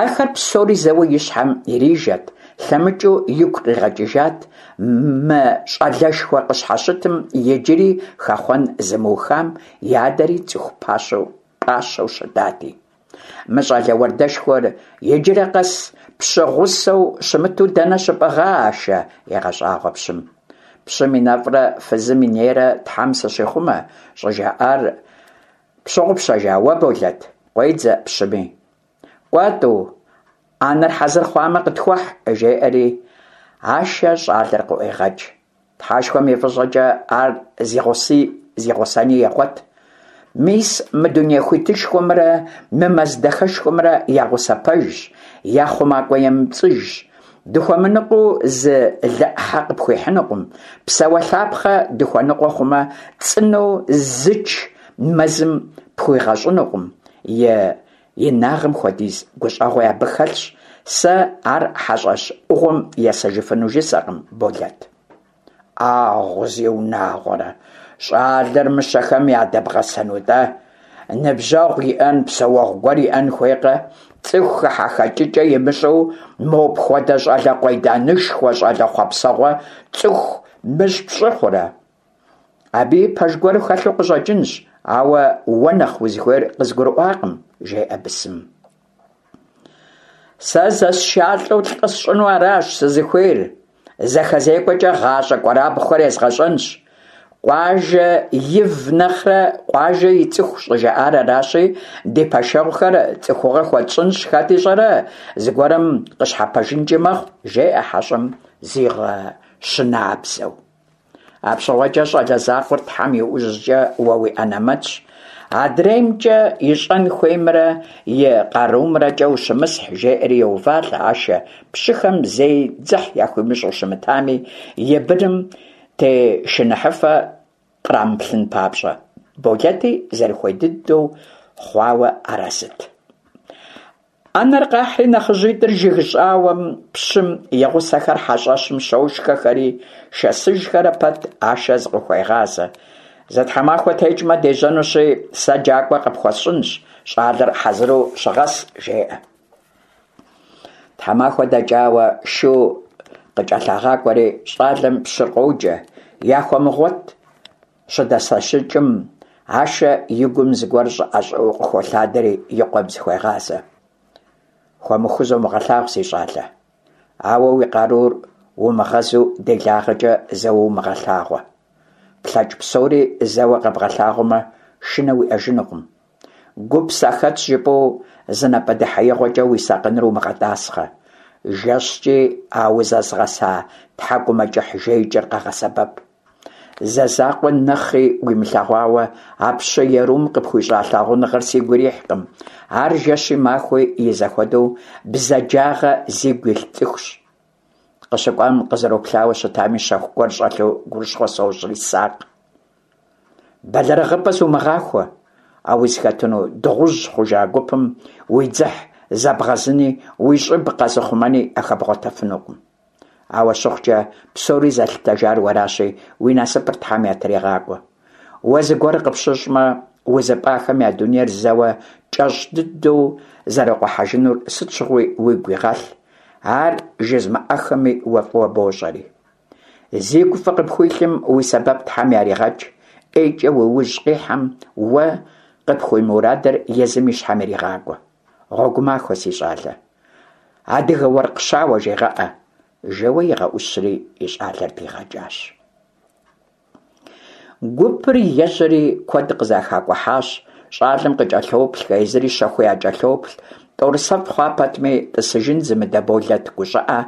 Ахэр псори зэуэ и щхьэм ирижэт, лъэмыкӏыу игу къигъэкӏыжат мы щӏалэшхуэ къыщхьэщытым иджыри хэхъуэн зымыухам и адэри цӏыху пащэу пӏащэу щытати. Мы щӏалэ уардэшхуэр иджырэ къэс пщы гъусэу щымыту дэнэ щыпӏыгъа, Ашэ? егъэщӏагъуэ пщым. Пщым и нэфӏрэ фызым и нейрэ Тхьэм сыщихъумэ, щӏыжаӏар Пщыгъупщэжа уэ, Болэт? Къуедзэ пщыми. Кӏуэ, тӏу, ӏэнэр хьэзыр хъуамэ, къытхуэхь, жеӏэри, Ашэ щӏалэр къыӏуегъэкӏ. Тхьэшхуэм и фӏыщӏэкӏэ ар зигъуси зигъусэни егъуэт. Мис мы дуней хуитышхуэмрэ мы мэз дахэшхуэмрэ я гъусэ пэжщ, я хъумакӏуэ емыпцӏыжщ. Дыхуэмыныкъуэу зы лы ӏыхьэ къыпхуихьынукъым, псэуэлъапхъэ дыхуэныкъуэ хъумэ, цӏынэу зыч мэзым пхуигъэщӏынукъым, и инагъым хуэдиз гущӏэгъуи абы хэлъщ, сэ ар хьэщӏэщ ӏугъуэм есэжыфыну жысӏэкъым, Болэт. Ӏагъу, зиунагъуэрэ, щӏалэр мыщэхэм ядэбгъэсэну-тӏэ? Ныбжьэгъу иӏэн, псэуэгъу гуэр иӏэн хуейкъэ? Цӏыху хыхьэхэкӏыкӏэ имыщӏэу мопхуэдэ щӏалэ къуейданышхуэ, щӏалэ хъуэпсэгъуэ цӏыху мыщӏ пщӏы хъурэ? Абыи пэж гуэр хэлъу къыщӏэкӏынщ, ауэ уэ нэхъ узыхуейр къызгурыӏуакъым, жеӏэ бысымым. Сэ зэсшалӏэу лӏы сщӏыну аращ сызыхуейр. Зэхэзекӏуэкӏэ гъащӏэ кӏуэрабгъухэр езгъэщӏэнщ. Къуажэ ив нэхърэ къуажэ и цӏыху щӏыжаӏар аращи, ди пэшэгъухэр цӏыхугъэ хуэтщӏынщ, хэт ищӏэрэ, зыгуэрым къыщхьэпэжынкӏи мэхъу, жеӏэ хьэщӏэм зигъэщынабзэу. Апщыгъуэкӏэ щӏалэ закъуэр Тхьэм и ужькӏэ уэ уи ӏэнэмэтщ. Адреймкӏэ ищӏэн хуеймрэ и къарумрэкӏэ ущымысхь, жеӏэри йоувалӏэ Ашэ, пщыхэм зэи дзыхь яхуимыщӏу щымытами, и быным тешыныхьыфэ кърамыплъын папщӏэ. Болэти зэрыхуей дыдэу хъуауэ арэзыт. Ӏэнэр къахьри нэхъыжьитӏыр жыг щӏауэм пщым и гъусэхэр хьэщӏэщым щошхэхэри, шэсыжхэрэ пэт Ашэ зыкъыхуегъазэ. Зы тхьэмахуэ текӏмэ дежьэнущи, сэ джакӏуэ къыпхуэсщӏынщ, щӏалэр хьэзыру щыгъэс, жеӏэ. Тхьэмахуэ дэкӏауэ шу къыкӏэлъагъакӏуэри, щӏалэм пщыр къоджэ, Яхуэмыгъуэт Щыдэсэщыкӏым, Ашэ и гум зыгуэр щӏыӏэ-щӏыӏэу къыхолъадэри и къуэм зыхуегъазэ. Хуэмыхуу зомыгъэлъагъу, си щӏалэ. Ауэ уи къарур умыгъэзу делагъэкӏэ зэуэ умыгъэлъагъуэ. Плъэкӏ псори зэуэ къэбгъэлъагъуэмэ, шынэ уиӏэжынукъым. Гуп сахэтщ жыпӏэу зы напӏэдэхьеигъуэкӏэ уи сакъыныр умыгъэтӏасхъэ. Жэщкӏи а узэзгъэса тхьэкӏумэкӏыхь жеикӏэр къэгъэсэбэп. Зэ закъуэ нэхъи уимылъэгъуауэ а пщы ерум къыпхуищӏа лъагъуныгъэр сигу ирихькъым. Ар жэщи махуи и зэхуэдэу бзаджагъэ зигу илъ цӏыхущ. Къыщыкӏуам къызэроплъауэ щытами щэху гуэр щӏэлъу гурыщхъуэ сощӏри, сакъ. Бэлэрыгъыпӏэ зумыгъахуэ, а узыхэтыну дыгъужь хъужа гупым уи дзыхь зэбгъэзыни уи щӏыб къэзыхъумэни яхэбгъуэтэфынукъым. Ауэ щыхъукӏэ, псори зэлъытэжар уэращи, уи насыпыр Тхьэм ятригъакӏуэ. Уэ зыгуэр къыпщыщӏмэ, узыпӏахэм я дунейр зэуэ кӏэщӏ дыдэу зэрыкъухьэжынур сыт щыгъуи уигу игъэлъ, ар жызмыӏэххэми уэ фӏыуэ бощӏэри. Зигу фӏы къыпхуилъым уи сэбэп Тхьэм яригъэкӏ, ӏейкӏэ уи ужь къихьэм уэ къыпхуимурадыр езым и щхьэм иригъакӏуэ. Гъуэгу махуэ, си щӏалэ. Адыгэ уэркъ щауэ жегъэӏэ, жэуэ игъэӏущри и щӏалэр дигъэкӏащ. Гупыр ежьэри куэд къызэхакӏухьащ, щӏалэм къыкӏэлъоплъхэ, езыри щэхуу якӏэлъоплъ. Тӏорысэфӏ хъуа пэтми, тӏысыжын зымыдэ Болэт гущӏыӏэ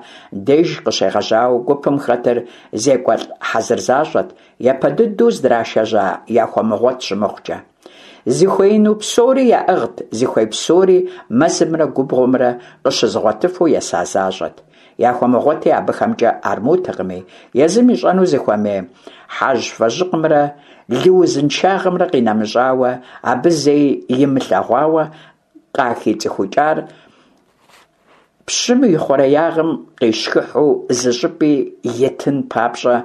деж къыщегъэжьауэ гупым хэтыр зекӏуэлӏ хьэзыр защӏэт, япэ дыдэу здрашэжьа Яхуэмыгъуэт щымыхъукӏэ. Зыхуеину псори яӏыгът, зыхуей псори мэзымрэ губгъуэмрэ къыщызыгъуэтыфу еса защӏэт. Яхуэмыгъуэти абыхэмкӏэ армутэкъыми, езым ищӏэну зыхуэмей хьэжьвэжьыкъымрэ лы узыншагъэмрэ къинэмыщӏауэ, абы зэи имылъэгъуауэ къахицӏыхукӏар пщым и хъуреягъым къишхыхьу зыщӏыпӏи итын папщӏэ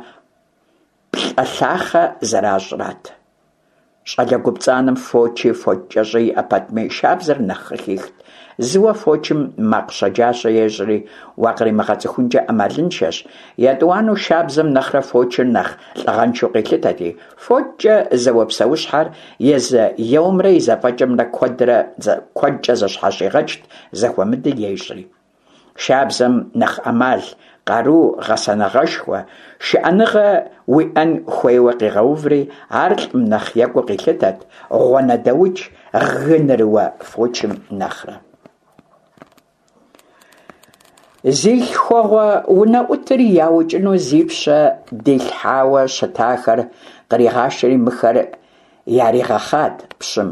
плӏэ лъахъэ зэращӏрат. Щӏалэ гупцӏанэм фочи фочкӏэщӏи иӏэ пэтми, шабзэр нэхъ къыхихт. Зыуэ фочым макъ щэджащэ ещӏри, уакъримыгъэцӏыхункӏэ ӏэмалыншэщ. Етӏуанэу шабзэм нэхърэ фочыр нэхъ лӏыгъэншэу къилъытэти, фочкӏэ зэуэ псэущхьэр езы еуэмрэ и зэфӏэкӏымрэ куэдрэ куэдкӏэ зэщхьэщигъэкӏт, зэхуэмыдэ ещӏри. Шабзэм нэхъ ӏэмал, къару, гъэсэныгъэшхуэ, шыӏэныгъэ уиӏэн хуейуэ къигъэуври, ар лӏым нэхъ екӏуу къилъытэт, гъуанэдэукӏ, гынырыуэ фочым нэхърэ. Зи лъхуэгъуэ унэӏутыр яукӏыну зи пщэ дилъхьауэ щытахэр къригъашэри мыхэр яригъэхъат пщым.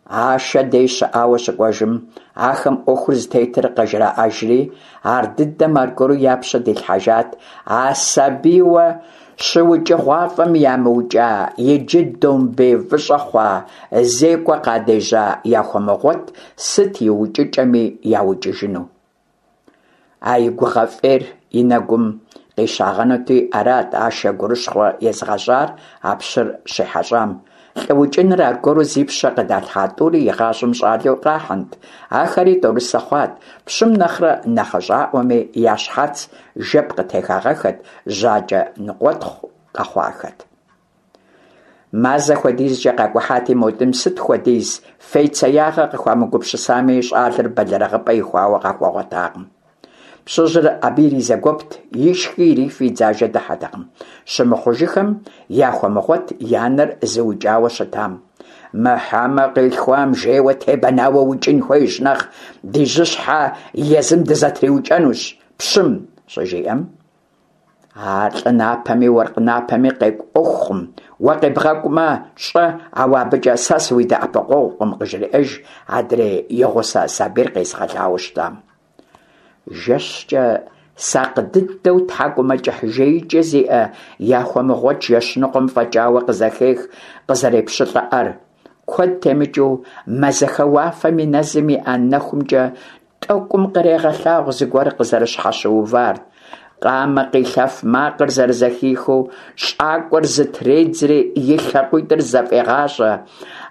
Ашэ дей щыӏауэ щыкӏуэжым, ахэм ӏуэхур зытетыр къыжраӏэжри, ар дыдэм аргуэру я пщэ дилъхьэжат а сабийуэ щыукӏыгъуафӏэм ямыукӏа, иджы домбей выщӏэ хъуа, зекӏуэ къадежьа Яхуэмыгъуэт сыт и укӏыкӏэми яукӏыжыну. А и гугъэ фӏейр и нэгум къищагъэнути, арат Ашэ гурыщхъуэ езыгъэщӏар а пщыр щихьэщӏам. Лӏы укӏыныр аргуэру зи пщэ къыдалъхьа тӏури игъащӏэм щӏалэу къахьынт, ахэри тӏорысэ хъуат, пщым нэхърэ нэхъыщӏаӏуэми, я щхьэц жэп къытехагъэххэт, жьакӏэ ныкъуэтхъу къэхъуахэт. Мазэ хуэдизкӏэ къакӏухьати, мо тӏум сыт хуэдиз фейцеягъэ къыхуамыгупсысами, щӏалэр бэлэрыгъыпӏэ ихуауэ къахуэгъуэтакъым. Пщыжьыр абы иризэгуэпт, ишхи ирифи и дзажэ дыхьэтэкъым. Щымыхъужыхэм Яхуэмыгъуэт и анэр зыукӏауэ щытам. Мы хьэмэ къилъхуам жейуэ тебэнауэ укӏын хуейщ нэхъ ди жьыщхьэ езым дызэтриукӏэнущ пщым, щыжиӏэм. Ар лӏы напэми уэркъ напэми къекӏу ӏуэхукъым. Уэ къебгъэкӏумэ, щӏэ, ауэ абыкӏэ сэ сыуидэӏэпыкъуэгъукъым, къыжреӏэж адрей и гъусэ сабийр къезыгъэлауэ щытам. Жэщкӏэ сакъ дыдэу тхьэкӏумэкӏыхь жеикӏэ зиӏэ Яхуэмыгъуэт жэщ ныкъуэм фӏэкӏауэ къызэхех къызэрепщылӏэӏэр. Куэд темыкӏыу мазэхэ уафэм и нэзым иӏэ нэхумкӏэ тӏэкӏум кърегъэлъагъу зыгуэр къызэрыщхьэщыувар. Къамэ къилъэф макъыр зэрызэхихыу, щӏакӏуэр зытредзри и лъакъуитӏыр зэфӏегъащӏэ,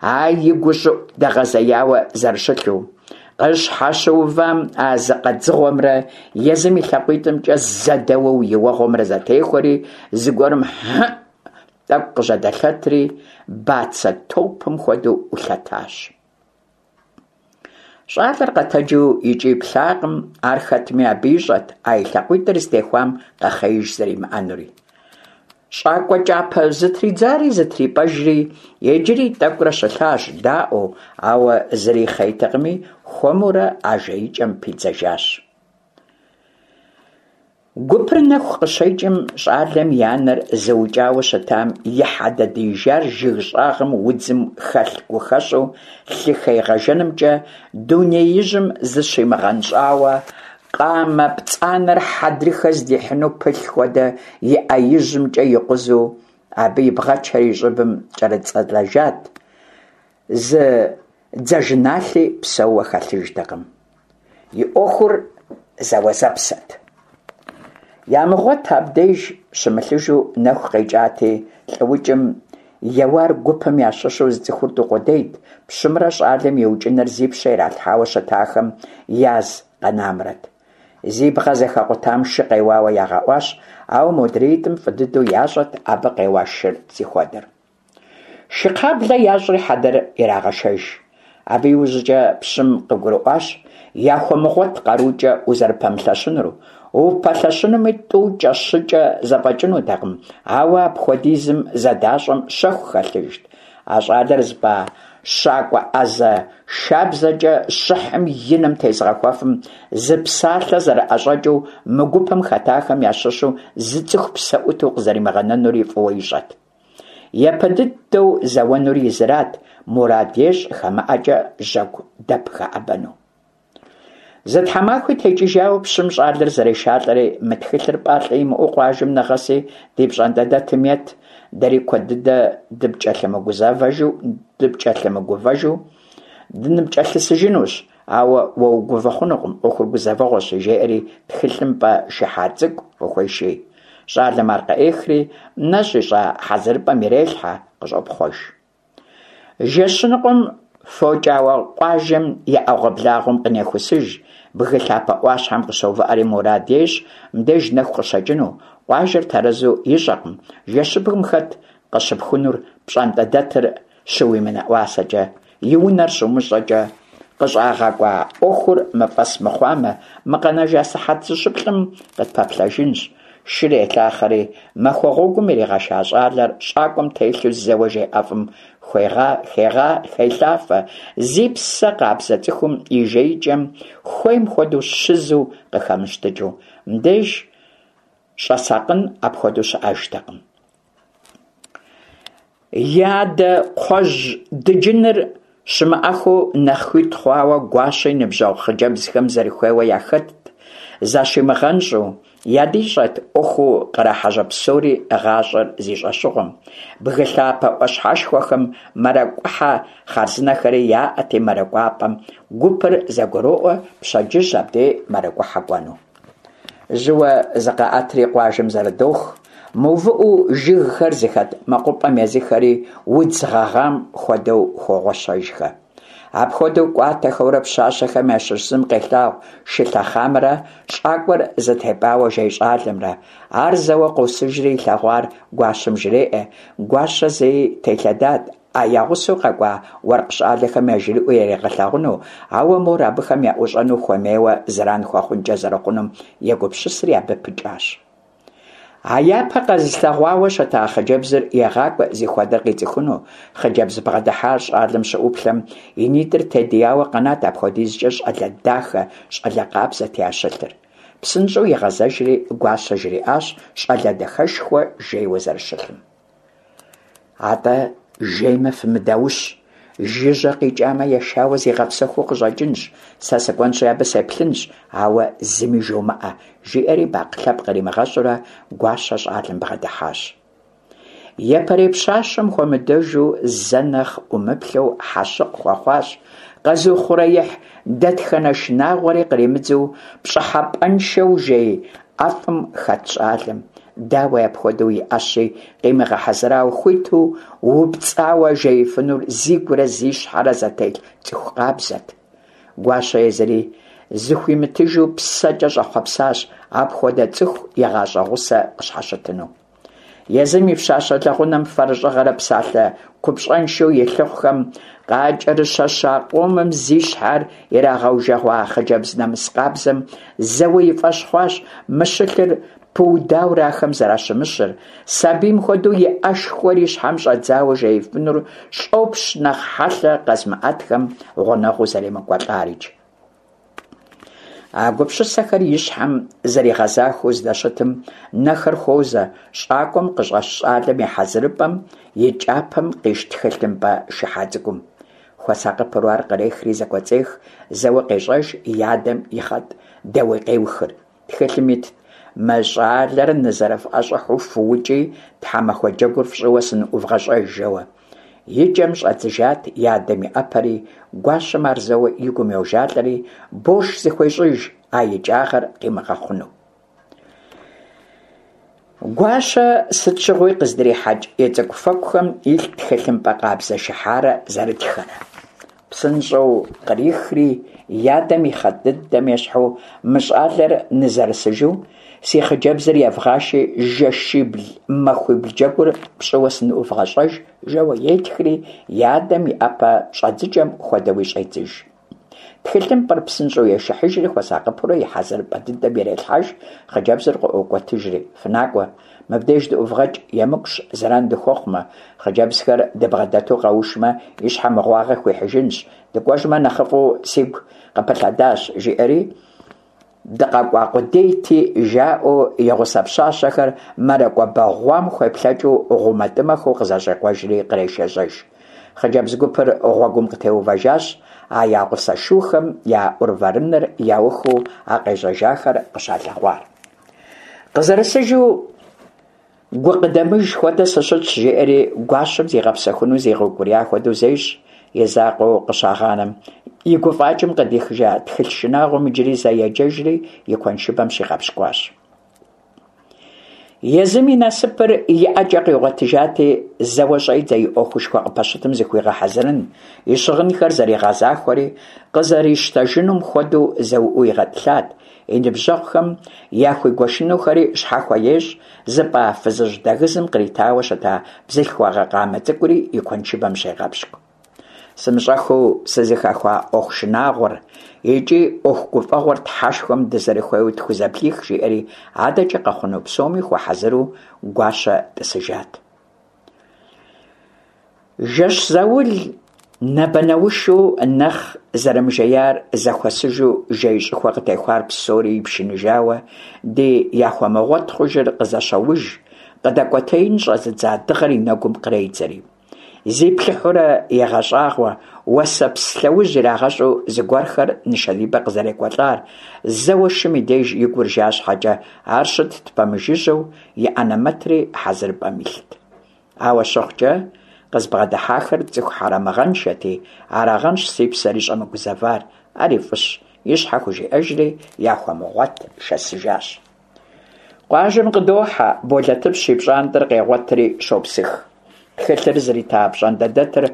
а и гущӏыӏу дэгъэзеяуэ зэрыщылъу. Къыщхьэщыувам а зыкъэдзыгъуэмрэ езым и лъакъуитӏымкӏэ зэдэуэу и уэгъуэмрэ зэтехуэри, зыгуэрым хьыӏ тӏэкӏу къыжьэдэлъэтри, бацэ топым хуэдэу ӏулъэтащ. Щӏалэр къэтэджу икӏи плъакъым, ар хэтми абы ищӏэт а и лъакъуитӏыр зытехуам къэхъеиж зэримыӏэнури. Щӏакӏуэ кӏапэ зытридзари зытрипӏэжри, иджыри тӏэкӏурэ щылъащ, даӏуэу, ауэ зыри хъейтэкъыми, хуэмурэ а жеикӏэм пидзэжащ. Гупыр нэху къыщекӏым, щӏалэм и анэр зыукӏауэ щытам и хьэдэ диижар жыг щӏагъым удзым хэлъ гухэщӏу лъы хегъэжэнымкӏэ дунеижьым зыщимыгъэнщӏауэ, къамэ пцӏанэр хьэдрыхэ здихьыну пылъ хуэдэ и ӏэ ижьымкӏэ икъузу, абы и бгъэчэр и щӏыбым кӏэрыцӏэлэжат, зы дзажэналъи псэууэ хэлъыжтэкъым. И ӏуэхур зэуэзэпсэт. Ямыгъуэт абдеж щымылъыжу нэху къекӏати, лӏыукӏым еуар гупым ящыщу зыцӏыхур тӏу къудейт, пщымрэ щӏалэм и укӏыныр зи пщэ иралъхьауэ щытахэм яз къэнамрэт. Зи бгъэ зэхэкъутам шы къеуауэ ягъэӏуащ, ауэ модреитӏым фӏы дыдэу ящӏэт абы къеуа шыр зихуэдэр. Шы кхъаблэ ящӏри хьэдэр ирагъэшэж. Абы иужькӏэ пщым къыгурыӏуащ Яхуэмыгъуэт къарукӏэ узэрыпэмылъэщынур, упэлъэщынуми тӏукӏэ-щыкӏэ зэфӏэкӏынутэкъым, ауэ апхуэдизым зэдащӏэм щэху хэлъыжт. А щӏалэр зыпӏа щакӏуэ ӏэзэ шабзэкӏэ щыхьым и нэм тезыгъэхуэфым зы псалъэ зэрыӏэщӏэкӏыу мы гупым хэтахэм ящыщу зы цӏыху псэ ӏуту къызэримыгъэнэнури фӏыуэ ищӏэт. Япэ дыдэу зэуэнур езырат, мурад ещӏ хамэӏэкӏэ жьэгу дэп хэӏэбэну. Зы тхьэмахуи текӏыжауэ пщым щӏалэр зэрешалӏэри, мы тхылъыр пӏалъэ имыӏэу къуажэм нэгъэси ди пщӏантӏэдэтым ет, дэри куэд дыдэ дыпкӏэлъымыгузэвэжу, дыпкӏэлъымыгувэжу дыныпкӏэлъысыжынущ, ауэ уэ угувэ хъунукъым, ӏуэхур гузэвэгъуэщи, жеӏэри тхылъымпӏэ шыхьа цӏыкӏу къыхуеший. Щӏалэм ар къыӏехри, нэщӏ ищӏа хьэзырыпӏэм ирелъхьэ, къыщӏопхъуэж. Жэщыныкъуэм фокӏауэ къуажэм и ӏэгъуэблагъуэм къынехусыж, бгы лъапэ ӏуащхьэм къыщоувыӏэри мурад ещӏ мыбдеж нэху къыщэкӏыну, къуажэр тэрэзу ищӏэкъым, жэщыбгым хэт къыщыпхунур пщӏантӏэдэтыр щыуимынэӏуасэкӏэ, и унэр щумыщӏэкӏэ, къыщӏагъэкӏуа ӏуэхур мыфӏэс мыхъуамэ, мы къэнэжа сыхьэт зыщыплӏым къытпэплъэжынщ. Шыр елъахъэри, махуэ гъуэгум иригъэша щӏалэр щӏакӏуэм телъу зэуэ жей ӏэфӏым хелъафэ, зи псэ къабзэ цӏыхум и жеикӏэм хуейм хуэдэу щызу къыхэмыщтыкӏыу. Мыбдеж щӏэсакъын апхуэдэу щыӏэжтэкъым. И адэ кхъуэжь дыджыныр щымыӏэххэу нэхъ хуит хъуауэ Гуащэ и ныбжьэгъу хъыджэбзхэм зэрыхуейуэ яхэтт, защимыгъэнщӏу, ядищӏэт ӏуэхуу кърахьэжьэ псори гъащӏэр зи щӏэщыгъуэм. Бгы лъапэ ӏуащхьэшхуэхэм мэракӏухьэ хъарзынэхэри яӏэти, мэракӏуапӏэм гупыр зэгуроӏуэ пщэдджыжь абдей мэракӏухьэ кӏуэну. Жьыуэ зыкъаӏэтри къуажэм зэрыдох, мыувыӏэу жыгхэр зыхэт мэкъупӏэм езыхэри удз гъэгъам хуэдэу хогъуэщэжхэ. Апхуэдэу кӏуатэхэурэ пщащэхэм ящыщ зым къелъагъу шы лъэхъамрэ щӏакӏуэр зытепӏауэ жей щӏалэмрэ. Ар зэуэ къосыжри илъэгъуар гуащэм жреӏэ. Гуащэ зэи телъэдат А я гъусэу къэкӏуа уэркъ щӏалэхэм яжриӏэу яригъэлъагъуну, ауэ мор абыхэм яӏущӏэну хуэмейуэ зэран хуэхъункӏэ зэрыхъунум егупсысри абы пыкӏащ. А япэ къэзылъэгъуауэ щыта хъыджэбзыр егъакӏуэ зихуэдэр къицӏыхуну. Хъыджэбз бгъэдыхьар щӏалэм щыӏуплъэм, и нитӏыр тедияуэ къэнат апхуэдизкӏэ щӏалэ дахэ, щӏалэ къабзэт ящылъыр. Псынщӏэу игъэзэжри Гуащэ жриӏащ щӏалэ дахэшхуэ жейуэ зэрыщылъым. Атӏэ, жеймэ фымыдаущ, жыжьэ къикӏамэ ешауэ зигъэпсэхуу къыщӏэкӏынщ, сэ сыкӏуэнщи абы сеплъынщ, ауэ зыми жомыӏэ, жиӏэри бакъ лъэпкъ къримыгъэщӏурэ Гуащэ щӏалэм бгъэдыхьащ. Япэрей пщащэм хуэмыдэжу зэ нэхъ ӏумыплъэу хьэщыкъ хуэхъуащ, къэзыухъуреихь дэтхэнэ шынагъуэри къримыдзэу пщӏыхьэпӏэншэу жей ӏэфӏым хэт щӏалэм. Дауи, апхуэдэу и ӏэщи къимыгъэхьэзырауэ хуиту упцӏауэ жеифынур зигурэ зи щхьэрэ зэтелъ цӏыху къабзэт. Гуащэ езыри зыхуимытыжу псэкӏэ щӏэхъуэпсащ апхуэдэ цӏыху и гъащӏэ гъусэ къыщхьэщытыну. Езым и пщащэ лэгъунэм фэрыщӏыгъэрэ псалъэ купщӏэншэу и лъыхъухэм къакӏэрыщэща къомым зи щхьэр ирагъэужэгъуа хъыджэбз нэмыс къабзэм зэуэ и фӏэщ хъуащ мы щылъыр пыудаурэ ахэм зэращымыщыр, сабийм хуэдэу и ӏэшхуэр и щхьэм щӏэдзауэ жеифынур щӏопщ нэхъ хьэлъэ къэзымыӏэтхэм гъунэгъуу зэремыкӏуэлӏарикӏ. А гупсысэхэр и щхьэм зэригъэзахуэу здэщытым, нэхэр хуозэ щӏакӏуэм къыщӏэщ щӏалэм и хьэзырыпӏэм и кӏапэм къищ тхылъымпӏэ шыхьа цӏыкӏум. Хуэсакъыпэурэ ар кърехри зэкӏуэцӏех, зэуэ къещӏэж и адэм и хъэтӏ дэуей-къеухыр. Тхылъым итт, Мы щӏалэр нызэрыфӏэщӏыхьу фыукӏи, тхьэмахуэ джэгур фщӏыуэ сыныӏувгъэщӏэж, жэуэ. И кӏэм щӏэдзыжат и адэм и ӏэпэри, гуащэм ар зэуэ и гум йожалӏэри, борш зыхуещӏыж а икӏагъэр къимыгъэхъуну. Гуащэ сыт щыгъуи къыздрихьэкӏ и цӏыкӏуфэкӏухэм илът тхылъымпӏэ къабзэ шыхьарэ зэрытхэрэ. Псынщӏэу кърихри, и адэм и хъэтӏ дыдэм ещхьу, мы щӏалэр нызэрысыжу, си хъыджэбзыр евгъаши, жэщибл-махуибл джэгур пщӏыуэ сыныӏувгъэщӏэж, жэуэ етхри, и адэм и ӏэпэ щӏэдзыкӏэм хуэдэуи щӏедзыж. Тхылъымпӏэр псынщӏэу ешыхьыжри, хуэсакъыпэурэ и хьэзырыпӏэ дыдэм ирелъхьэж, хъыджэбзыр къыӏуокӏуэтыжри, фынакӏуэ, Мыбдеж дыӏувгъэкӏ, емыкӏущ, зэран дыхуэхъумэ, хъыджэбзхэр дыбгъэдэту къэушмэ, и щхьэ мыгъуагъэ хуихьыжынщ, дыкӏуэжмэ нэхъыфӏу сигу къыпылъэдащ, жиӏэри, дыкъэкӏуа къудейти, жаӏэу и гъусэ пщащэхэр мэракӏуэ бэгъуам хуеплъэкӏыу гъумэтӏымэхэу къызэщӏекъуэжри кърешэжьэж. Хъыджэбз гупыр гъуэгум къытеувэжащ, а я гъусэ шухэм я ӏурвэрыныр яухыу а къежьэжахэр къыщалъэгъуар. Къызэрысыжу гукъыдэмыж хуэдэ сыщытщ, жеӏэри гуащэм зигъэпсэхуну зигъэукӏурия хуэдэу зещӏ, и закъуэу къыщагъанэм. И гуфӏакӏэм къыдихыжа тхылъ шынагъуэм иджыри зэ еджэжри и куэншыбэм щигъэпщкӏуащ. Езым и насыпыр и ӏэкӏэ къигъуэтыжати, зэуэ щӏедзэ и ӏуэхушхуэ къыпэщытым зыхуигъэхьэзырын, и щыгъынхэр зэригъэзахуэри, къызэрищтэжынум хуэдэу зэуӏуу игъэтӏылъат, И ныбжьэгъухэм яхуигуэшынухэри щхьэхуэ ещӏ, зыпӏа фызыжь дэгызым къритауэ щыта бзылъхугъэ къамэ цӏыкӏури и куэншыбэм щегъэпщкӏу. Сымыщӏэххэу сызыхэхуа ӏуэху шынагъуэр икӏи ӏуэху гуфӏэгъуэр Тхьэшхуэм дызэрыхуейуэ тхузэблих, жиӏэри адэкӏэ къэхъуну псоми хуэхьэзыру Гуащэ тӏысыжат. Жэщ заул нэбэнэушу нэхъ зэрымыжеяр зэхуэсыжу жей щӏыхуэ къытехуар псори ипшыныжауэ, ди яхуэмыгъуэт хъужыр къызэщоуж, къыдэкӏуэтеин щӏэзыдза дыгъэр и нэгум къредзэри. Зиплъыхьурэ егъэщӏагъуэ, уэсэпс лъэужь ирагъэщӏу зыгуэрхэр нышэдибэ къызэрекӏуэлӏар, зэуэ шым и деж и гур жа щхьэкӏэ, ар щытт пэмыжыжьэу, и ӏэнэмэтри хьэзырыпӏэм илът. Ауэ щыхъукӏэ, къызбгъэдыхьахэр цӏыху хьэрэмыгъэншэти, арагъэнщ си псэри щӏэмыгузэвар, ари фӏыщ, и щхьэ хужиӏэжри, яхуэмыгъуэт шэсыжащ. Къуажэм къыдохьэ, Болэтыпщ и пщӏантӏэр къегъуэтри щопсых. Тхылъыр зрита пщӏантӏэдэтыр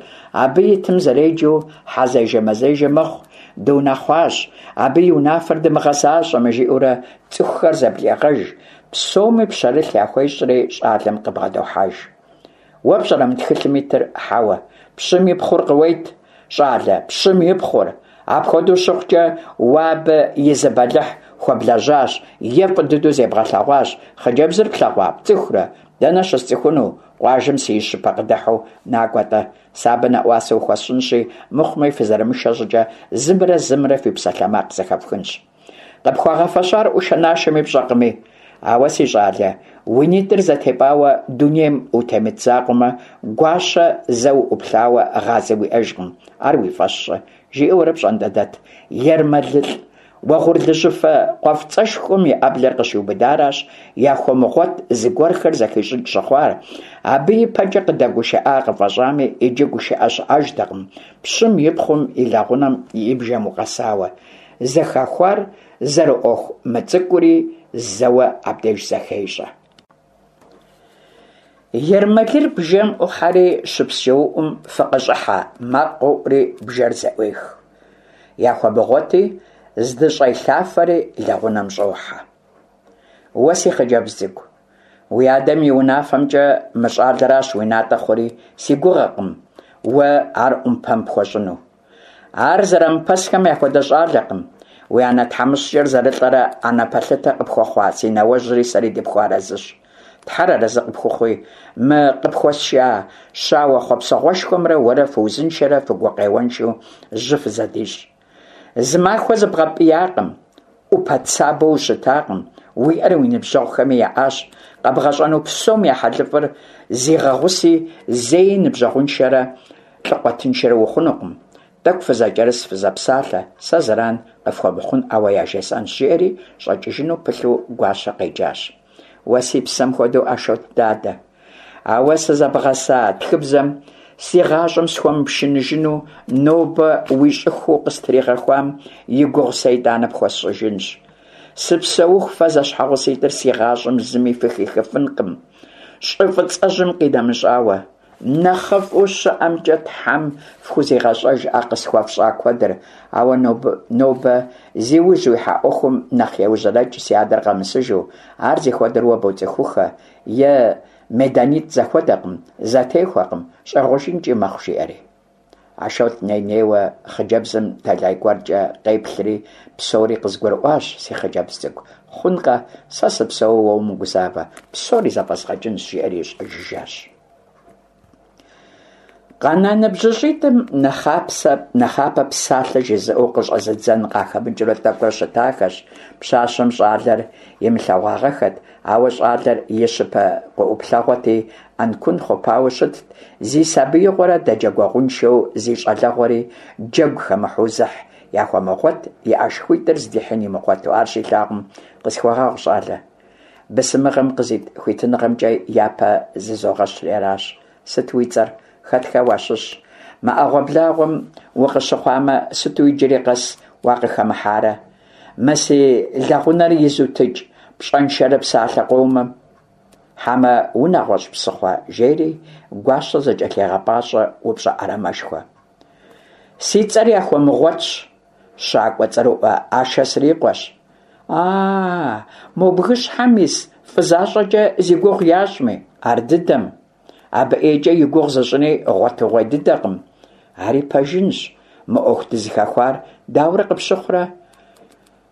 абы итым зэреджэу хьэзежэ-мэзежэ мэхъу, дунэхъуащ, абы и унафэр дымыгъэзащӏэмэ, жиӏэурэ цӏыхухэр зэблегъэж, псоми пщэрылъ яхуещӏри щӏалэм къыбгъэдохьэж. Уэ пщӏэрэ мы тхылъым итыр? Хьэуэ. Пщым и пхъур къыует, щӏалэ, пщым и пхъур. Апхуэдэу щыхъукӏэ, уэ абы и зы бэлыхь хуэблэжьащ е фӏы дыдэу зебгъэлъэгъуащ. Хъыджэбзыр плъэгъуа, пцӏыхурэ? Дэнэ щысцӏыхуну, къуажэм си щыпэ къыдыхьэу, накӏуэ-тӏэ, сэ абы нэӏуасэ ухуэсщӏынщи, мыхъумэ фызэрымышэ щӏыкӏэ зымрэ зымрэ фи псалъэмакъ зэхэфхынщ. Къыпхуагъэфэщар ӏушэ-нашэми пщӏэкъыми. Ауэ, си щӏалэ, уи нитӏыр зэтепӏауэ дунейм утемыт закъуэмэ, Гуащэ зэ уӏуплъауэ гъазэ уиӏэжкъым, ар уи фӏэщ щӏы, жиӏэурэ пщӏантӏэдэт ермэлылӏ уэгъурлыжьыфэ къуэфӏыцӏэшхуэм и ӏэблэр къыщиубыдаращ Яхуэмыгъуэт зыгуэрхэр зэхищӏыкӏ щыхъуар, абы и пэкӏэ къыдэгушыӏа къыфӏэщӏами, иджы гушыӏэ щыӏэжтэкъым, пщым и пхъум и лэгъунэм и бжэм укъэсауэ. Зэхэхуар зэрыӏуэху мыцӏыкӏури зэуэ абдеж зэхещӏэ. Ермэлыр бжэм ӏухьэри щыпсчэуӏум фыкъыщӏыхьэ макъ къоӏури бжэр зэӏуех. Яхуэмыгъуэти, здыщӏелъафэри лэгъунэм щӏохьэ. Уэ, си хъыджэбз цӏыкӏу, уи адэм и унафэмкӏэ мы щӏалэращ уи натӏэ хъури, си гугъэкъым уэ ар ӏумпэм пхуэщӏыну. Ар зэрамыпэсхэм яхуэдэ щӏалэкъым. Уи анэ тхьэмыщкӏэр зэрылӏэрэ анэ пэлъытэ къыпхуэхъуа си нэуэжьри сэри дыпхуэарэзыщ. Тхьэр арэзы къыпхухъуи, мы къыпхуэсша щауэ хъуэпсэгъуэшхуэмрэ уэрэ фыузыншэрэ фыгукъеуэншэу жьы фызэдищӏ. Зы махуэ зыбгъэпӏиякъым, ӏупэ цабэу ущытакъым, уиӏэр уи ныбжьэгъухэми яӏащ, къэбгъэщӏэну псом я хьэлыфӏыр зигъэгъуси, зэи ныбжьэгъуншэрэ лӏыкъуэтыншэрэ ухъунукъым. Тӏэкӏу фызэкӏэрыс, фызэпсалъэ, сэ зэран къыфхуэмыхъунӏауэ яжесӏэнщ, жиӏэри щӏэкӏыжыну пылъу Гуащэ къеджащ. Уэ си псэм хуэдэу Ашот дадэ. А уэ сызэбгъэса тхыбзэм си гъащӏэм схуэмыпшыныжыну нобэ уи щӏыхуу къыстригъэхуам и гугъу сэ итӏанэ пхуэсщӏыжынщ. Сыпсэуху фэ зэщхьэгъуситӏыр си гъащӏэм зыми фыхихыфынкъым, щӏы фӏыцӏэжьым къинэмыщӏауэ. Нэхъыфӏу щыӏэмкӏэ Тхьэм фхузигъэщӏэж а къысхуэфщӏа куэдыр, ауэ нобэ зи ужь уихьа ӏуэхум нэхъ еужьэрэкӏ си адэр къэмысыжу, ар зихуэдэр уэ боцӏыхухэ, е меданитӏ зэхуэдэкъым, зэтехуэкъым, щӏегъуэжынкӏи мэхъу, жиӏэри. Ашот ней-нейуэ хъыджэбзым тэлай гуэркӏэ къеплъри, псори къызгурыӏуащ, си хъыджэбз цӏыкӏу, хъункъэ, сэ сыпсэууэ уэ умыгузавэ, псори зэфӏэзгъэкӏынщ, жиӏэри щӏэжыжащ. Къэна ныбжьыщӏитӏым нэхъапэ псалъэ жызыӏэу къыщӏэзыдзэн къахэмыкӏыурэ тӏэкӏурэ щытахэщ. Пщащэм щӏалэр имылъэгъуагъэххэт, ауэ щӏалэр и щыпэ къыӏуплъэгъуэти, ӏэнкун хъупауэ щытт, зи сабиигъуэрэ дэджэгуэгъуншэу зи щӏалэгъуэри джэгу хэмыхьэу зыхь Яхуэмыгъуэт и ӏэшхуитӏыр здихьын имыгъуэту ар щилъагъум, къысхуэгъэгъу, щӏалэ. Бысымыгъэм къызит хуитыныгъэмкӏэ япэ зызогъэщри аращ. Сыт уи цӏэр? Хэтхэ уащыщ? Мы ӏэгъуэблагъуэм укъыщыхъуамэ, сыту иджыри къэс уакъыхэмыхьарэ? Мы си лэгъунэр изутыкӏ пщӏэншэрыпсалъэ къомым. Хьэмэ унэгъуэщӏ псыхъуэ, жери Гуащэ зэкӏэлъегъэпӏащӏэ упщӏэ ӏэрамэшхуэ. Си цӏэр Яхуэмыгъуэтщ, щакӏуэ цӏэрыӏуэ Ашэ срикъуэщ. А-а, мо бгыщхьэм ис фӏы защӏэкӏэ зи гугъу ящӏми, ардыдэм. Абы ӏейкӏэ и гугъу зыщӏыни гъуэтыгъуей дыдэкъым. Ари пэжынщ, мы ӏуэху дызыхэхуар дауэрэ къыпщыхъурэ?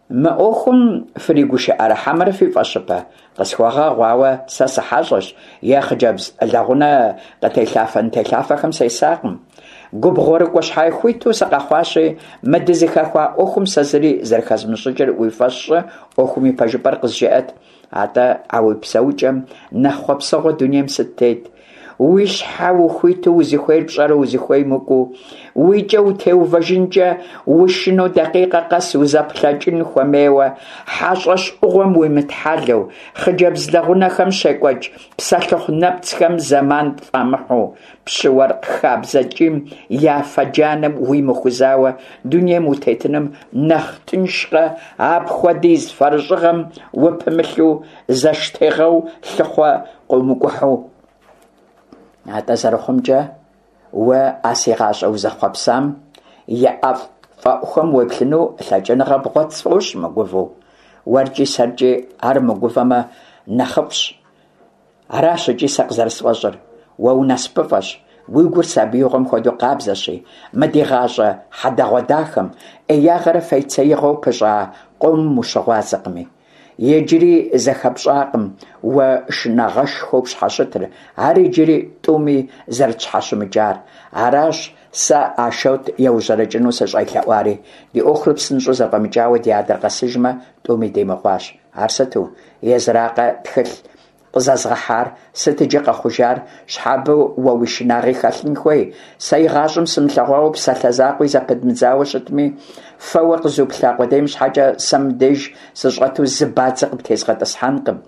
Мы ӏуэхум фригушыӏэрэ хьэмэрэ фи фӏэщыпэ? Къысхуэгъэгъу, ауэ сэ сыхьэщӏэщ е хъыджэбз лэгъунэ къытелъафэ-нытелъафэхэм сесакъым. Губгъуэрыкӏуэ щхьэхуиту сыкъэхъуащи, мы дызыхэхуа ӏуэхум сэ зыри зэрыхэзмыщӏыкӏыр уи фӏэщ щӏы, ӏуэхум и пэжыпӏэр къызжеӏэт. Атӏэ а уи псэукӏэм нэхъ хъуэпсэгъуэ дунейм сыт тет? Уи щхьэ ухуиту узыхуейр пщӏэрэ узыхуейм укӏуэу, уи кӏэ утеувэжынкӏэ ушынэу дакъикъэ къэс узэплъэкӏын хуэмейуэ, хьэщӏэщ ӏугъуэм уимытхьэлэу, хъыджэбз лэгъунэхэм щекӏуэкӏ псэлъыхъу нэпцӏхэм зэман пфӏамыхьу, пщы-уэркъ хабзэ ткӏийм я афэ джанэм уимыхузауэ дунейм утетыным нэхъ тыншкъэ, апхуэдиз фэрыщӏыгъэм упымылъу зэштегъэу лъыхъуэ къыумыкӏухьу. Атӏэ зэрыхъумкӏэ, уэ а си гъащӏэ узэхъуэпсам и ӏэфӏ фӏэӏухэм уеплъыну лъэкӏыныгъэ бгъуэт сфӏощӏ мыгувэу. Уэркӏи сэркӏи ар мыгувэмэ нэхъыфӏщ. Аращ икӏи сэ къызэрысфӏэщӏыр. Уэ унасыпыфӏэщ, уи гур сабиигъуэм хуэдэу къабзэщи, мы ди гъащӏэ хьэдэгъуэдахэм ӏеягъэрэ фейцеигъэу пыщӏа къомым ущыгъуазэкъыми. Иджыри зэхэпщӏакъым уэ шынагъэшхуэу пщхьэщытыр, ар иджыри тӏуми зэрытщхьэщымыкӏар. Аращ сэ Ашот еужьэрэкӏыну сыщӏелъэӏуари. Ди ӏуэхур псынщӏэу зэфӏэмыкӏауэ ди адэр къэсыжмэ, тӏуми димыгъуащ. Ар сыту? Езыракъэ тхылъ къызэзгъэхьар? Сыт иджы къэхъужар? Щхьэ абы уэ уи шынагъи хэлъын хуей? Сэ игъащӏэм сымылъэгъуауэ псалъэ закъуи зэпыдмыдзауэ щытми, фэуэ къызуплъа къудейм щхьэкӏэ сэ мыбдеж сыщӏэту зы бадзэ къыптезгъэтӏысхьэнкъым.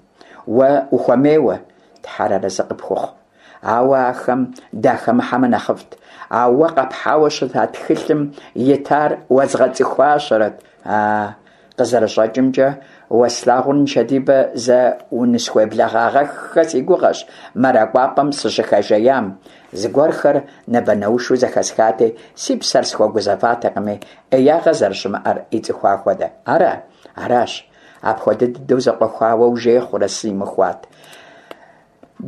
Уэ ухуэмейуэ, Тхьэр арэзы къыпхухъу. Ауэ ахэм дахэмыхьэмэ нэхъыфӏт. А уэ къэпхьауэ щыта тхылъым итар уэзгъэцӏыхуащэрэт. А, къызэрыщӏэкӏымкӏэ, уэ слъагъур нышэдибэ зэ унысхуеблэгъагъэххэ си гугъэщ мэракӏуапӏэм сыщыхэжеям. Зыгуэрхэр нэбэнэушу зэхэсхати, си псэр схуэгузэватэкъыми, ӏеягъэ зэрыщымыӏэр ицӏыхуа хуэдэ. Ара? Аращ. Апхуэдэ дыдэу зэкъуэхуауэ ужей хъурэ симыхуат.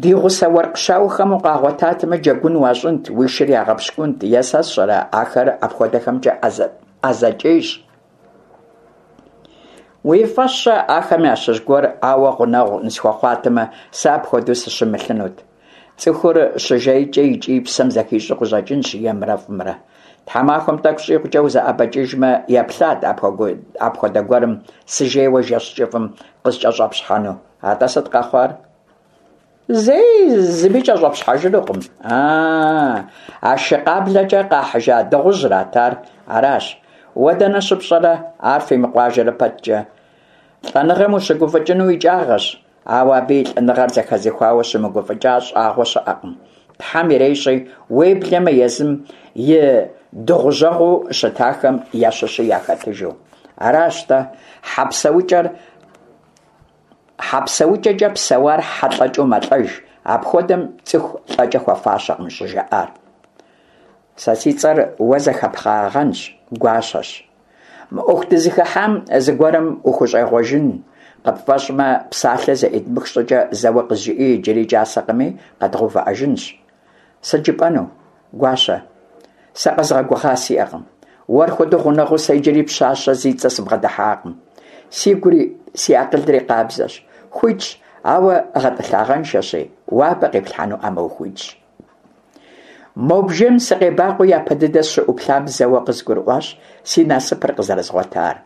Ди гъусэ уэркъ щауэхэм укъагъуэтатэмэ, джэгун уащӏынт, уи шыр ягъэпщкӏунт, е сэ сщӏэрэ, ахэр апхуэдэхэмкӏэ ӏэзэкӏейщ. Уи фӏэщ щӏы, ахэм ящыщ гуэр ауэ гъунэгъу нысхуэхъуатэмэ, сэ апхуэдэу сыщымылъынут. Цӏыхур щыжейкӏэ икӏи и псэм зэхищӏэу къыщӏэкӏынщ емрэ фӏымрэ. Тхьэмахуэм тӏэкӏу щӏигъукӏэ узэӏэбэкӏыжмэ, еплъат апхуэдэ гуэрым сыжейуэ жэщ кӏыфӏым къыскӏэщӏэпщхьэну. Атӏэ сыт къэхъуар? Зэи зыми кӏэщӏэпщхьэжынукъым. А, а шы къаблэкӏэ къахьыжа дыгъужьрат ар, аращ. Уэ дэнэ щыпщӏэрэ ар фимыкъуажэрэ пэткӏэ? Лӏэныгъэм ущыгуфӏыкӏыну икӏагъэщ, ауэ абы и лӏэныгъэр зэхэзыхуауэ щымыгуфӏыкӏа щӏагъуэ щыӏэкъым. Тхьэм ирещӏи, уеблэмэ езым и дыгъужьэгъуу щытахэм ящыщи яхэтыжу. Аращ-тӏэ, хьэ псэукӏэр Хьэ псэукӏэкӏэ псэуар хьэ лӏэкӏэу мэлӏэж, апхуэдэм цӏыху лӏэкӏэ хуэфащэкъым щӏыжаӏар. Сэ си цӏэр уэ зэхэпхагъэнщ, Гуащэщ. Мы ӏуэху дызыхыхьам зыгуэрым ухущӏегъуэжын къыпфӏэщӏмэ, псалъэ зэӏыдмых щӏыкӏэ зэуэ къызжыӏи иджыри кӏасэкъыми, къэдгъэувыӏэжынщ. Сыт жыпӏэну, Гуащэ? Сэ къэзгъэгугъа сиӏэкъым. Уэр хуэдэу гъунэгъуу сэ иджыри пщащэ зи цӏэ сыбгъэдыхьакъым. Сигури си акъылри къабзэщ, хуитщ, ауэ гъэтӏылъагъэншэщи, уэ абы къиплъхьэнуӏамэ ухуитщ. Мо бжэм сыкъебакъуэу япэ дыдэ сыщыӏуплъам зэуэ къызгурыӏуащ си насыпыр къызэрызгъуэтар.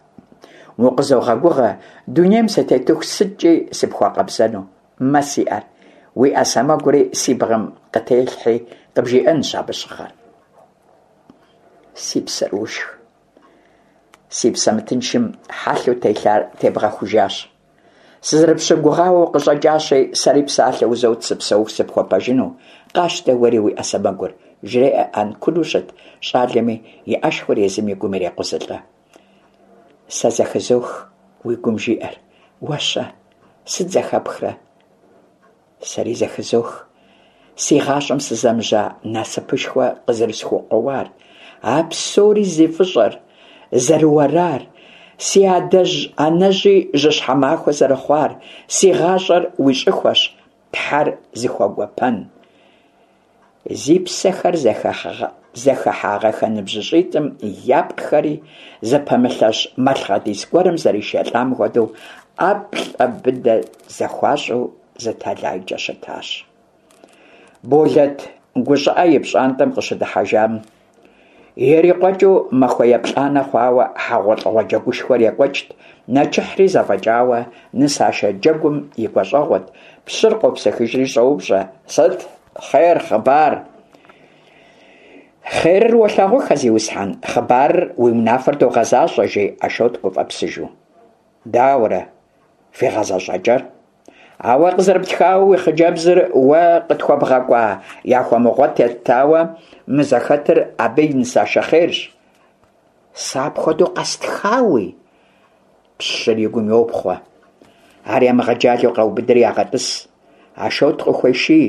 Укъызогъэгугъэ, дунейм сытетыху сыткӏи сыпхуэкъэбзэну. Мэ си ӏэр, уи ӏэ сэмэгури си бгъэм къытелъхьи, къыбжиӏэнщ абы щыхъэр. Си псэр ушх. Си псэ мытыншым хьэлъэу телъар тебгъэхужащ. Сызэрыпщыгугъауэ укъыщӏэкӏащи, сэри псалъэ узот сыпсэуху сыпхуэпэжыну, къащтэ уэри уи ӏэ сэмэгур, жреӏэ ӏэнкуну щыт щӏалэми и ӏэшхуэр езым и гум ирекъузылӏэ. Сэ зэхызох уи гум жиӏэр. Уэ-щэ? Сыт зэхэпхрэ? Сэри зэхызох си гъащӏэм сызэмыжьа насыпышхуэ къызэрысхукъуэуар, а псори зи фӏыщӏэр зэрыуэрар, си адэжь-анэжьи жьыщхьэ махуэ зэрыхъуар, си гъащӏэр уи щӏыхуэщ, Тхьэр зыхуэгуэпэн. Зи псэхэр зэхыхьагъэхэ ныбжьыщӏитӏым япкъхэри зыпэмылъэщ малъхъэдис гуэрым зэришэлӏам хуэдэу ӏэплӏэ быдэ зэхуащӏу зы тэлайкӏэ щытащ. Болэт гущӏыӏэ и пщӏантӏэм къыщыдыхьэжам, Ирикъуэкӏыу махуэ еплӏанэ хъуауэ хьэгъуэлӏыгъуэ джэгушхуэр екӏуэкӏт, нэчыхьри зэфӏэкӏауэ, нысашэ джэгум и гуащӏэгъуэт. Пщыр къопсыхыжри щӏоупщӏэ, Сыт хъер, хъыбар? Хъерыр уолъагъухэ, зиусхьэн, хъыбарыр уи унафэр догъэзащӏэ, жи Ашот гуфӏэпсыжу. Дауэрэ фи гъэзэщӏэкӏэр? А уэ къызэрыптхауэ уи хъыджэбзыр уэ къытхуэбгъэкӏуа Яхуэмыгъуэт еттауэ мы зэхэтыр абы и нысашэ хъерщ. Сэ апхуэдэу къэстхауи? Пщыр и гум йопхъуэ. Ар ямыгъэджалэу къаубыдри ягъэтӏыс. Ашот къыхуеший,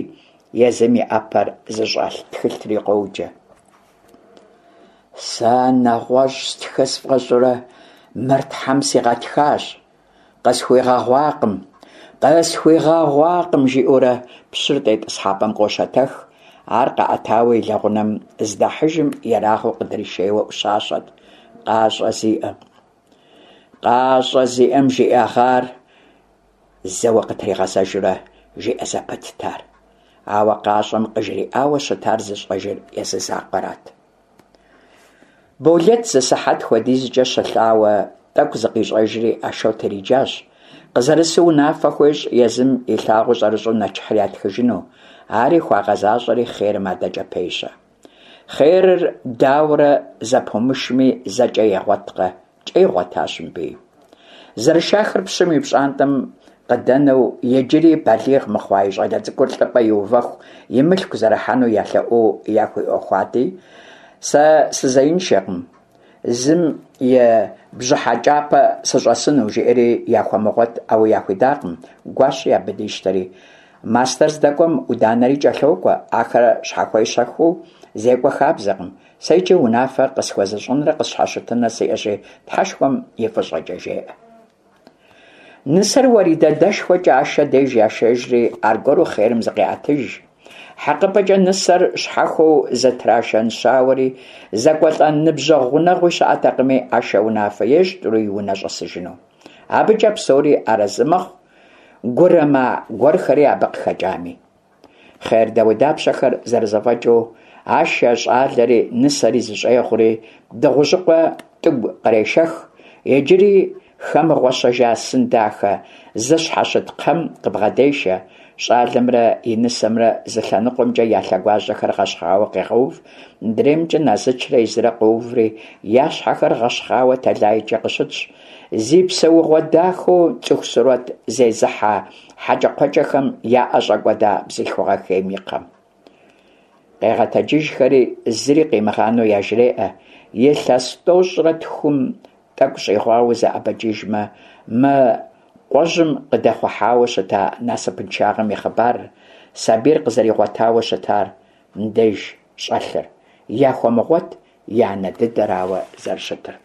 езым и ӏэпэр зыщӏэлъ тхылъри къоджэ. Сэ нэгъуэщӏ стхы сфӏэщӏурэ мыр Тхьэм сигъэтхащ. Къысхуигъэгъуакъым, къысхуигъэгъуакъым, жиӏэурэ пщыр тетӏысхьэпӏэм къощэтэх. Ар къаӏэтауэ и лэгъунэм здахьыжым ерагъыу къыдришейуэ ӏущащэт. Къащӏэ зиӏэм. Къащӏэ зиӏэм жиӏэгъар зэуэ къытригъэзэжурэ жиӏэ зэпытт ар. Ауэ къащӏэм къыжриӏауэ щытар зыщӏэжыр езы закъуэрат. Болэт зы сыхьэт хуэдизкӏэ щылъауэ тӏэкӏу зыкъищӏэжри Ашот ириджащ. Къызэрысу унафэ хуещӏ езым илъагъуу щӏэрыщӏэу нэчыхьыр ятхыжыну. Ари хуагъэзащӏэри хъерым адэкӏэ пещэ. Хъерыр дауэрэ зэпумышми, зэ кӏэ егъуэткъэ, кӏэ игъуэтащ мыбыи. Зэрышахэр пщым и пщӏантӏэм къыдэнэу, иджыри балигъ мыхъуа и щӏалэ цӏыкӏур лӏыпӏэ иувэху и мылъку зэрахьэну ялъэӏуу яхуиӏуэхуати, Сэ сызеиншэкъым, зым и бжьыхьэкӏапэ сыщӏэсыну, жиӏэри Яхуэмыгъуэт ауи яхуидакъым, гуащи абы дищтэри. Мастэр здэкӏуэм ӏуданэри кӏэлъокӏуэ, ахэр щхьэхуещэхэу зекӏуэ хабзэкъым. Сэ иджы унафэ къысхуэзыщӏынрэ къысщхьэщытынрэ сиӏэщи, Тхьэшхуэм и фӏыщӏэкӏэ, жеӏэ. Нысэр Уэридэ дэшхуэкӏэ Ашэ деж яшэжри, аргуэру хъерым зыкъеӏэтыж. Хьэкъыпӏэкӏэ нысэр щхьэхуэу зытрашэн щауэри, зэкӏуэлӏэн ныбжьэгъу гъунэгъуи щыӏэтэкъыми, Ашэ унафэ ещӏ тӏури и унэ щӏэсыжыну. Абыкӏэ псори арэзы мэхъу, гурымэ гуэрхэри абы къыхэкӏами. Хъер дауэдапщэхэр зэрызэфӏэкӏыу, Ашэ щӏалэри нысэри зыщӏегъури, Дыгъужьыкъуэ тӏыгу кърешэх, иджыри хэмыгъуэщэжа сын дахэ зыщхьэщыт кхъэм къыбгъэдешэ, щӏалэмрэ и нысэмрэ зы лъэныкъуэмкӏэ я лъэгуажьэхэр гъэщхъауэ къегъэув, мыдреймкӏэ Назычрэ езырэ къоуври, я щхьэхэр гъэщхъауэ тэлайкӏэ къыщытщ. Зи псэугъуэ дахэу цӏыху сурэт зезыхьэ хьэкӏэкхъуэкӏэхэм яӏэщӏэкӏуэда бзылъхугъэ хейм и кхъэм. Къегъэтэджыжхэри, зыри къимыгъанэу яжреӏэ, илъэс тӏощӏрэ тхум тӏэкӏу щӏигъуауэ узэӏэбэкӏыжмэ, мы къуэжьым къыдэхъухьауэ щыта насыпыншагъэм и хъыбарыр, сабийр къызэригъуэтауэ щытар, мыбдеж щӏэлъыр, Яхуэмыгъуэт и анэ дыдэрауэ зэрыщытыр.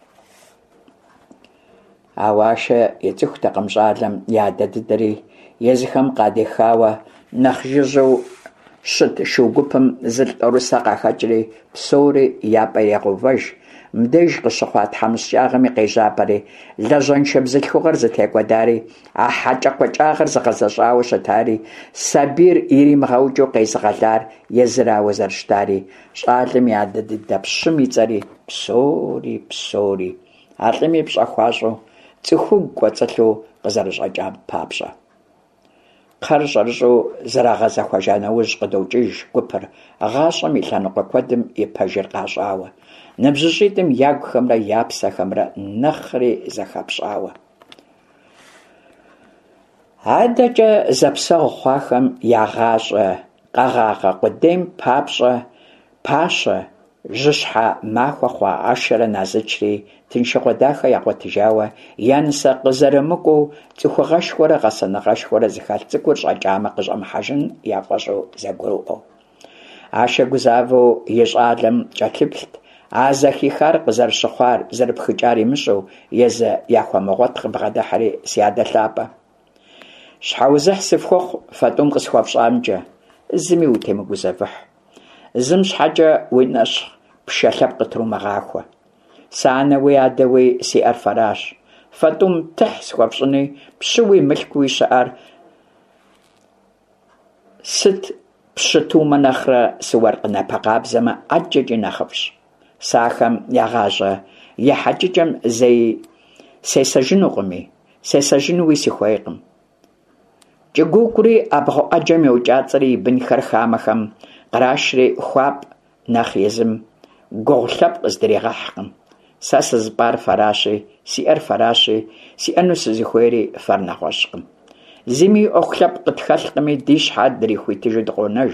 Ауэ Ашэ ицӏыхутэкъым щӏалэм и адэ дыдэри, езыхэм къадехауэ нэхъ жыжьэу щыт шу гупым зылӏ тӏорысэ къахэкӏри, псори я пӏэ ирегъэувэж, мыбдеж къыщыхъуа тхьэмыщкӏагъэм и къежьапӏэри, лэжьэншэ бзылъхугъэр зытекӏуэдари, а хьэкӏэкхъуэкӏагъэр зыгъэзэщӏауэ щытари, сабийр иримыгъэукӏыу къезыгъэлар езырауэ зэрыщытари, щӏалэм и адэ дыдэ пщым и цӏэри, псори, псори. А лӏыми пщӏэ хуащӏу, цӏыхугу кӏуэцӏылъу къызэрыщӏэкӏам папщӏэ. Кхъэр щӏэрыщӏэу зэрагъэзэхуэжа нэужь къыдокӏыж гупыр, гъащӏэм и лъэныкъуэ куэдым и пэжыр къащӏауэ, ныбжьыщӏитӏым ягухэмрэ я псэхэмрэ нэхъри зэхэпщӏауэ. Адэкӏэ зэпсэгъу хъуахэм я гъащӏэ къэгъагъэ къудейм папщӏэ пащэ, жьыщхьэ махуэ хъуа Ашэрэ Назычри тыншыгъуэ дахэ ягъуэтыжауэ, я нысэ къызэрымыкӏуэу цӏыхугъэшхуэрэ гъэсэныгъэшхуэрэ зыхэлъ цӏыкӏур щӏэкӏамэ къыщӏэмыхьэжын яфӏэщӏу зэгурыӏуэу. Ашэ гузавэу и щӏалэм кӏэлъыплът, а зэхихар къызэрыщыхъуар, зэрыпхыкӏар имыщӏэу, езы Яхуэмыгъуэт къыбгъэдыхьэри, Си адэ лъапӏэ. Щхьэузыхь сыфхухъу фэ тӏум къысхуэфщӏамкӏэ, зыми утемыгузэвыхь. Зым щхьэкӏэ уи нэщхъ пшэ лъэпкъ къытрумыгъахуэ. Сэ анэуи адэуи сиӏэр фэращ. Фэ тӏум тыхь схуэфщӏыни, пщыуи мылъкууи щыӏэр сыт пщы тумэ нэхърэ сыуэркъ напэ къабзэмэ ӏэджэкӏи нэхъыфӏщ. Сэ ахэм я гъащӏэ ехьэкӏыкӏэм зэи сесэжынукъыми, сесэжынуи сыхуейкъым. Кӏыгуугури ӏэбгъу ӏэджэм йокӏацӏэри и бынхэр хамэхэм кърашри хуапӏ нэхъ езым гугъу лъэпкъ здригъэхькъым. Сэ сызыпӏар фэращи, сиӏэр фэращи, сиӏэну сызыхуейри фэр нэгъуэщӏкъым. Зыми и ӏуэху лъэпкъ къытхэлъкъыми, ди щхьэ дрихуитыжу дыкъонэж.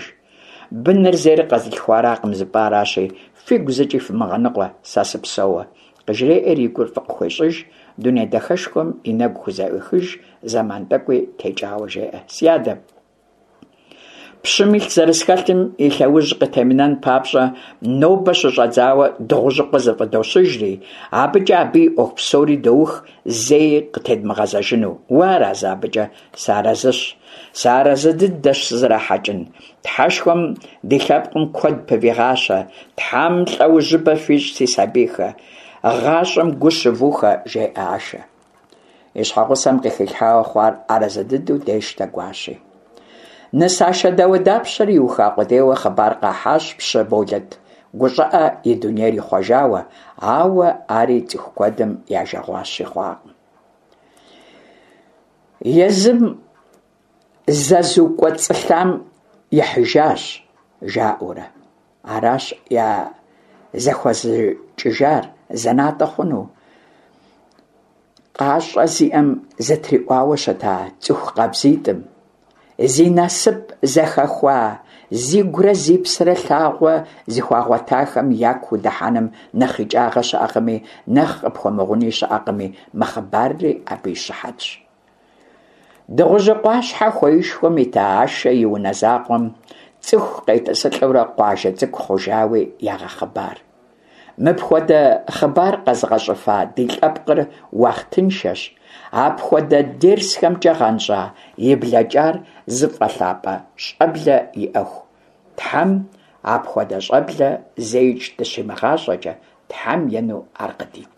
Быныр зейр къэзылъхуаракъым зыпӏаращи, фигу зыкӏи фымыгъэныкъуэ, сэ сыпсэууэ. Къыжреӏэр и гур фӏы къыхуещӏыж, дуней дахэшхуэм и нэгу хузэӏуехыж, зэман тӏэкӏуи текӏауэ жеӏэ. Си адэ! Пщым илъ зэрысхэлъым и лъэужь къытемынэн папщӏэ, нобэ щыщӏэдзауэ Дыгъужьыкъуэ зыфӏыдощыжри, абыкӏэ абы и ӏуэху псори доух, зэи къытедмыгъэзэжыну. Уарэзы абыкӏэ? Сыарэзыщ. Сыарэзы дыдэщ сызэрахьэкӏын. Тхьэшхуэм ди лъэпкъым куэд пывигъащэ. Тхьэм лӏэужьыбэ фищӏ, си сабийхэ. Гъащӏэм гу щывухэ, жеӏэ Ашэ. И щхьэгъусэм къыхилъхьауэ хъуар арэзы дыдэу дещтэ Гуащи. Нысашэ дауэдапщэр иуха къудейуэ хъыбар къахьащ пщы Болэт гущӏыӏэ и дунейр ихъуэжауэ, ауэ ари цӏыху куэдым я жагъуащи хъуакъым. Езым зэзукӏуэцӏылъам ихьыжащ, жаӏэурэ. Аращ я зэхуэзыкӏыжар зэнатӏэ хъуну къащӏэ зиӏэм зытриӏуауэ щыта цӏыху къабзитӏым. Зи насып зэхэхуа, зигурэ зи псэрэ лъагъуэ зыхуагъуэтахэм яку удыхьэным нэхъ икӏагъэ щыӏэкъыми, нэхъ къыпхуэмыгъуни щыӏэкъыми, мы хъыбарри абы и щыхьэтщ. Дыгъужьыкъуащхьэ хуеишхуэм ита Ашэ и унэ закъуэм цӏыху къетӏысылӏэурэ къуажэ цӏыкӏу хъужауи ягъэхъыбар. Мыпхуэдэ хъыбар къэзыгъэщӏыфа ди лъэпкъыр уахътыншэщ, апхуэдэ дерсхэмкӏэ гъэнщӏа и блэкӏар зыфӏэлъапӏэ щӏэблэ иӏэху. Тхьэм апхуэдэ щӏэблэ зэикӏ дыщимыгъащӏэкӏэ, Тхьэм ену ар къыдит.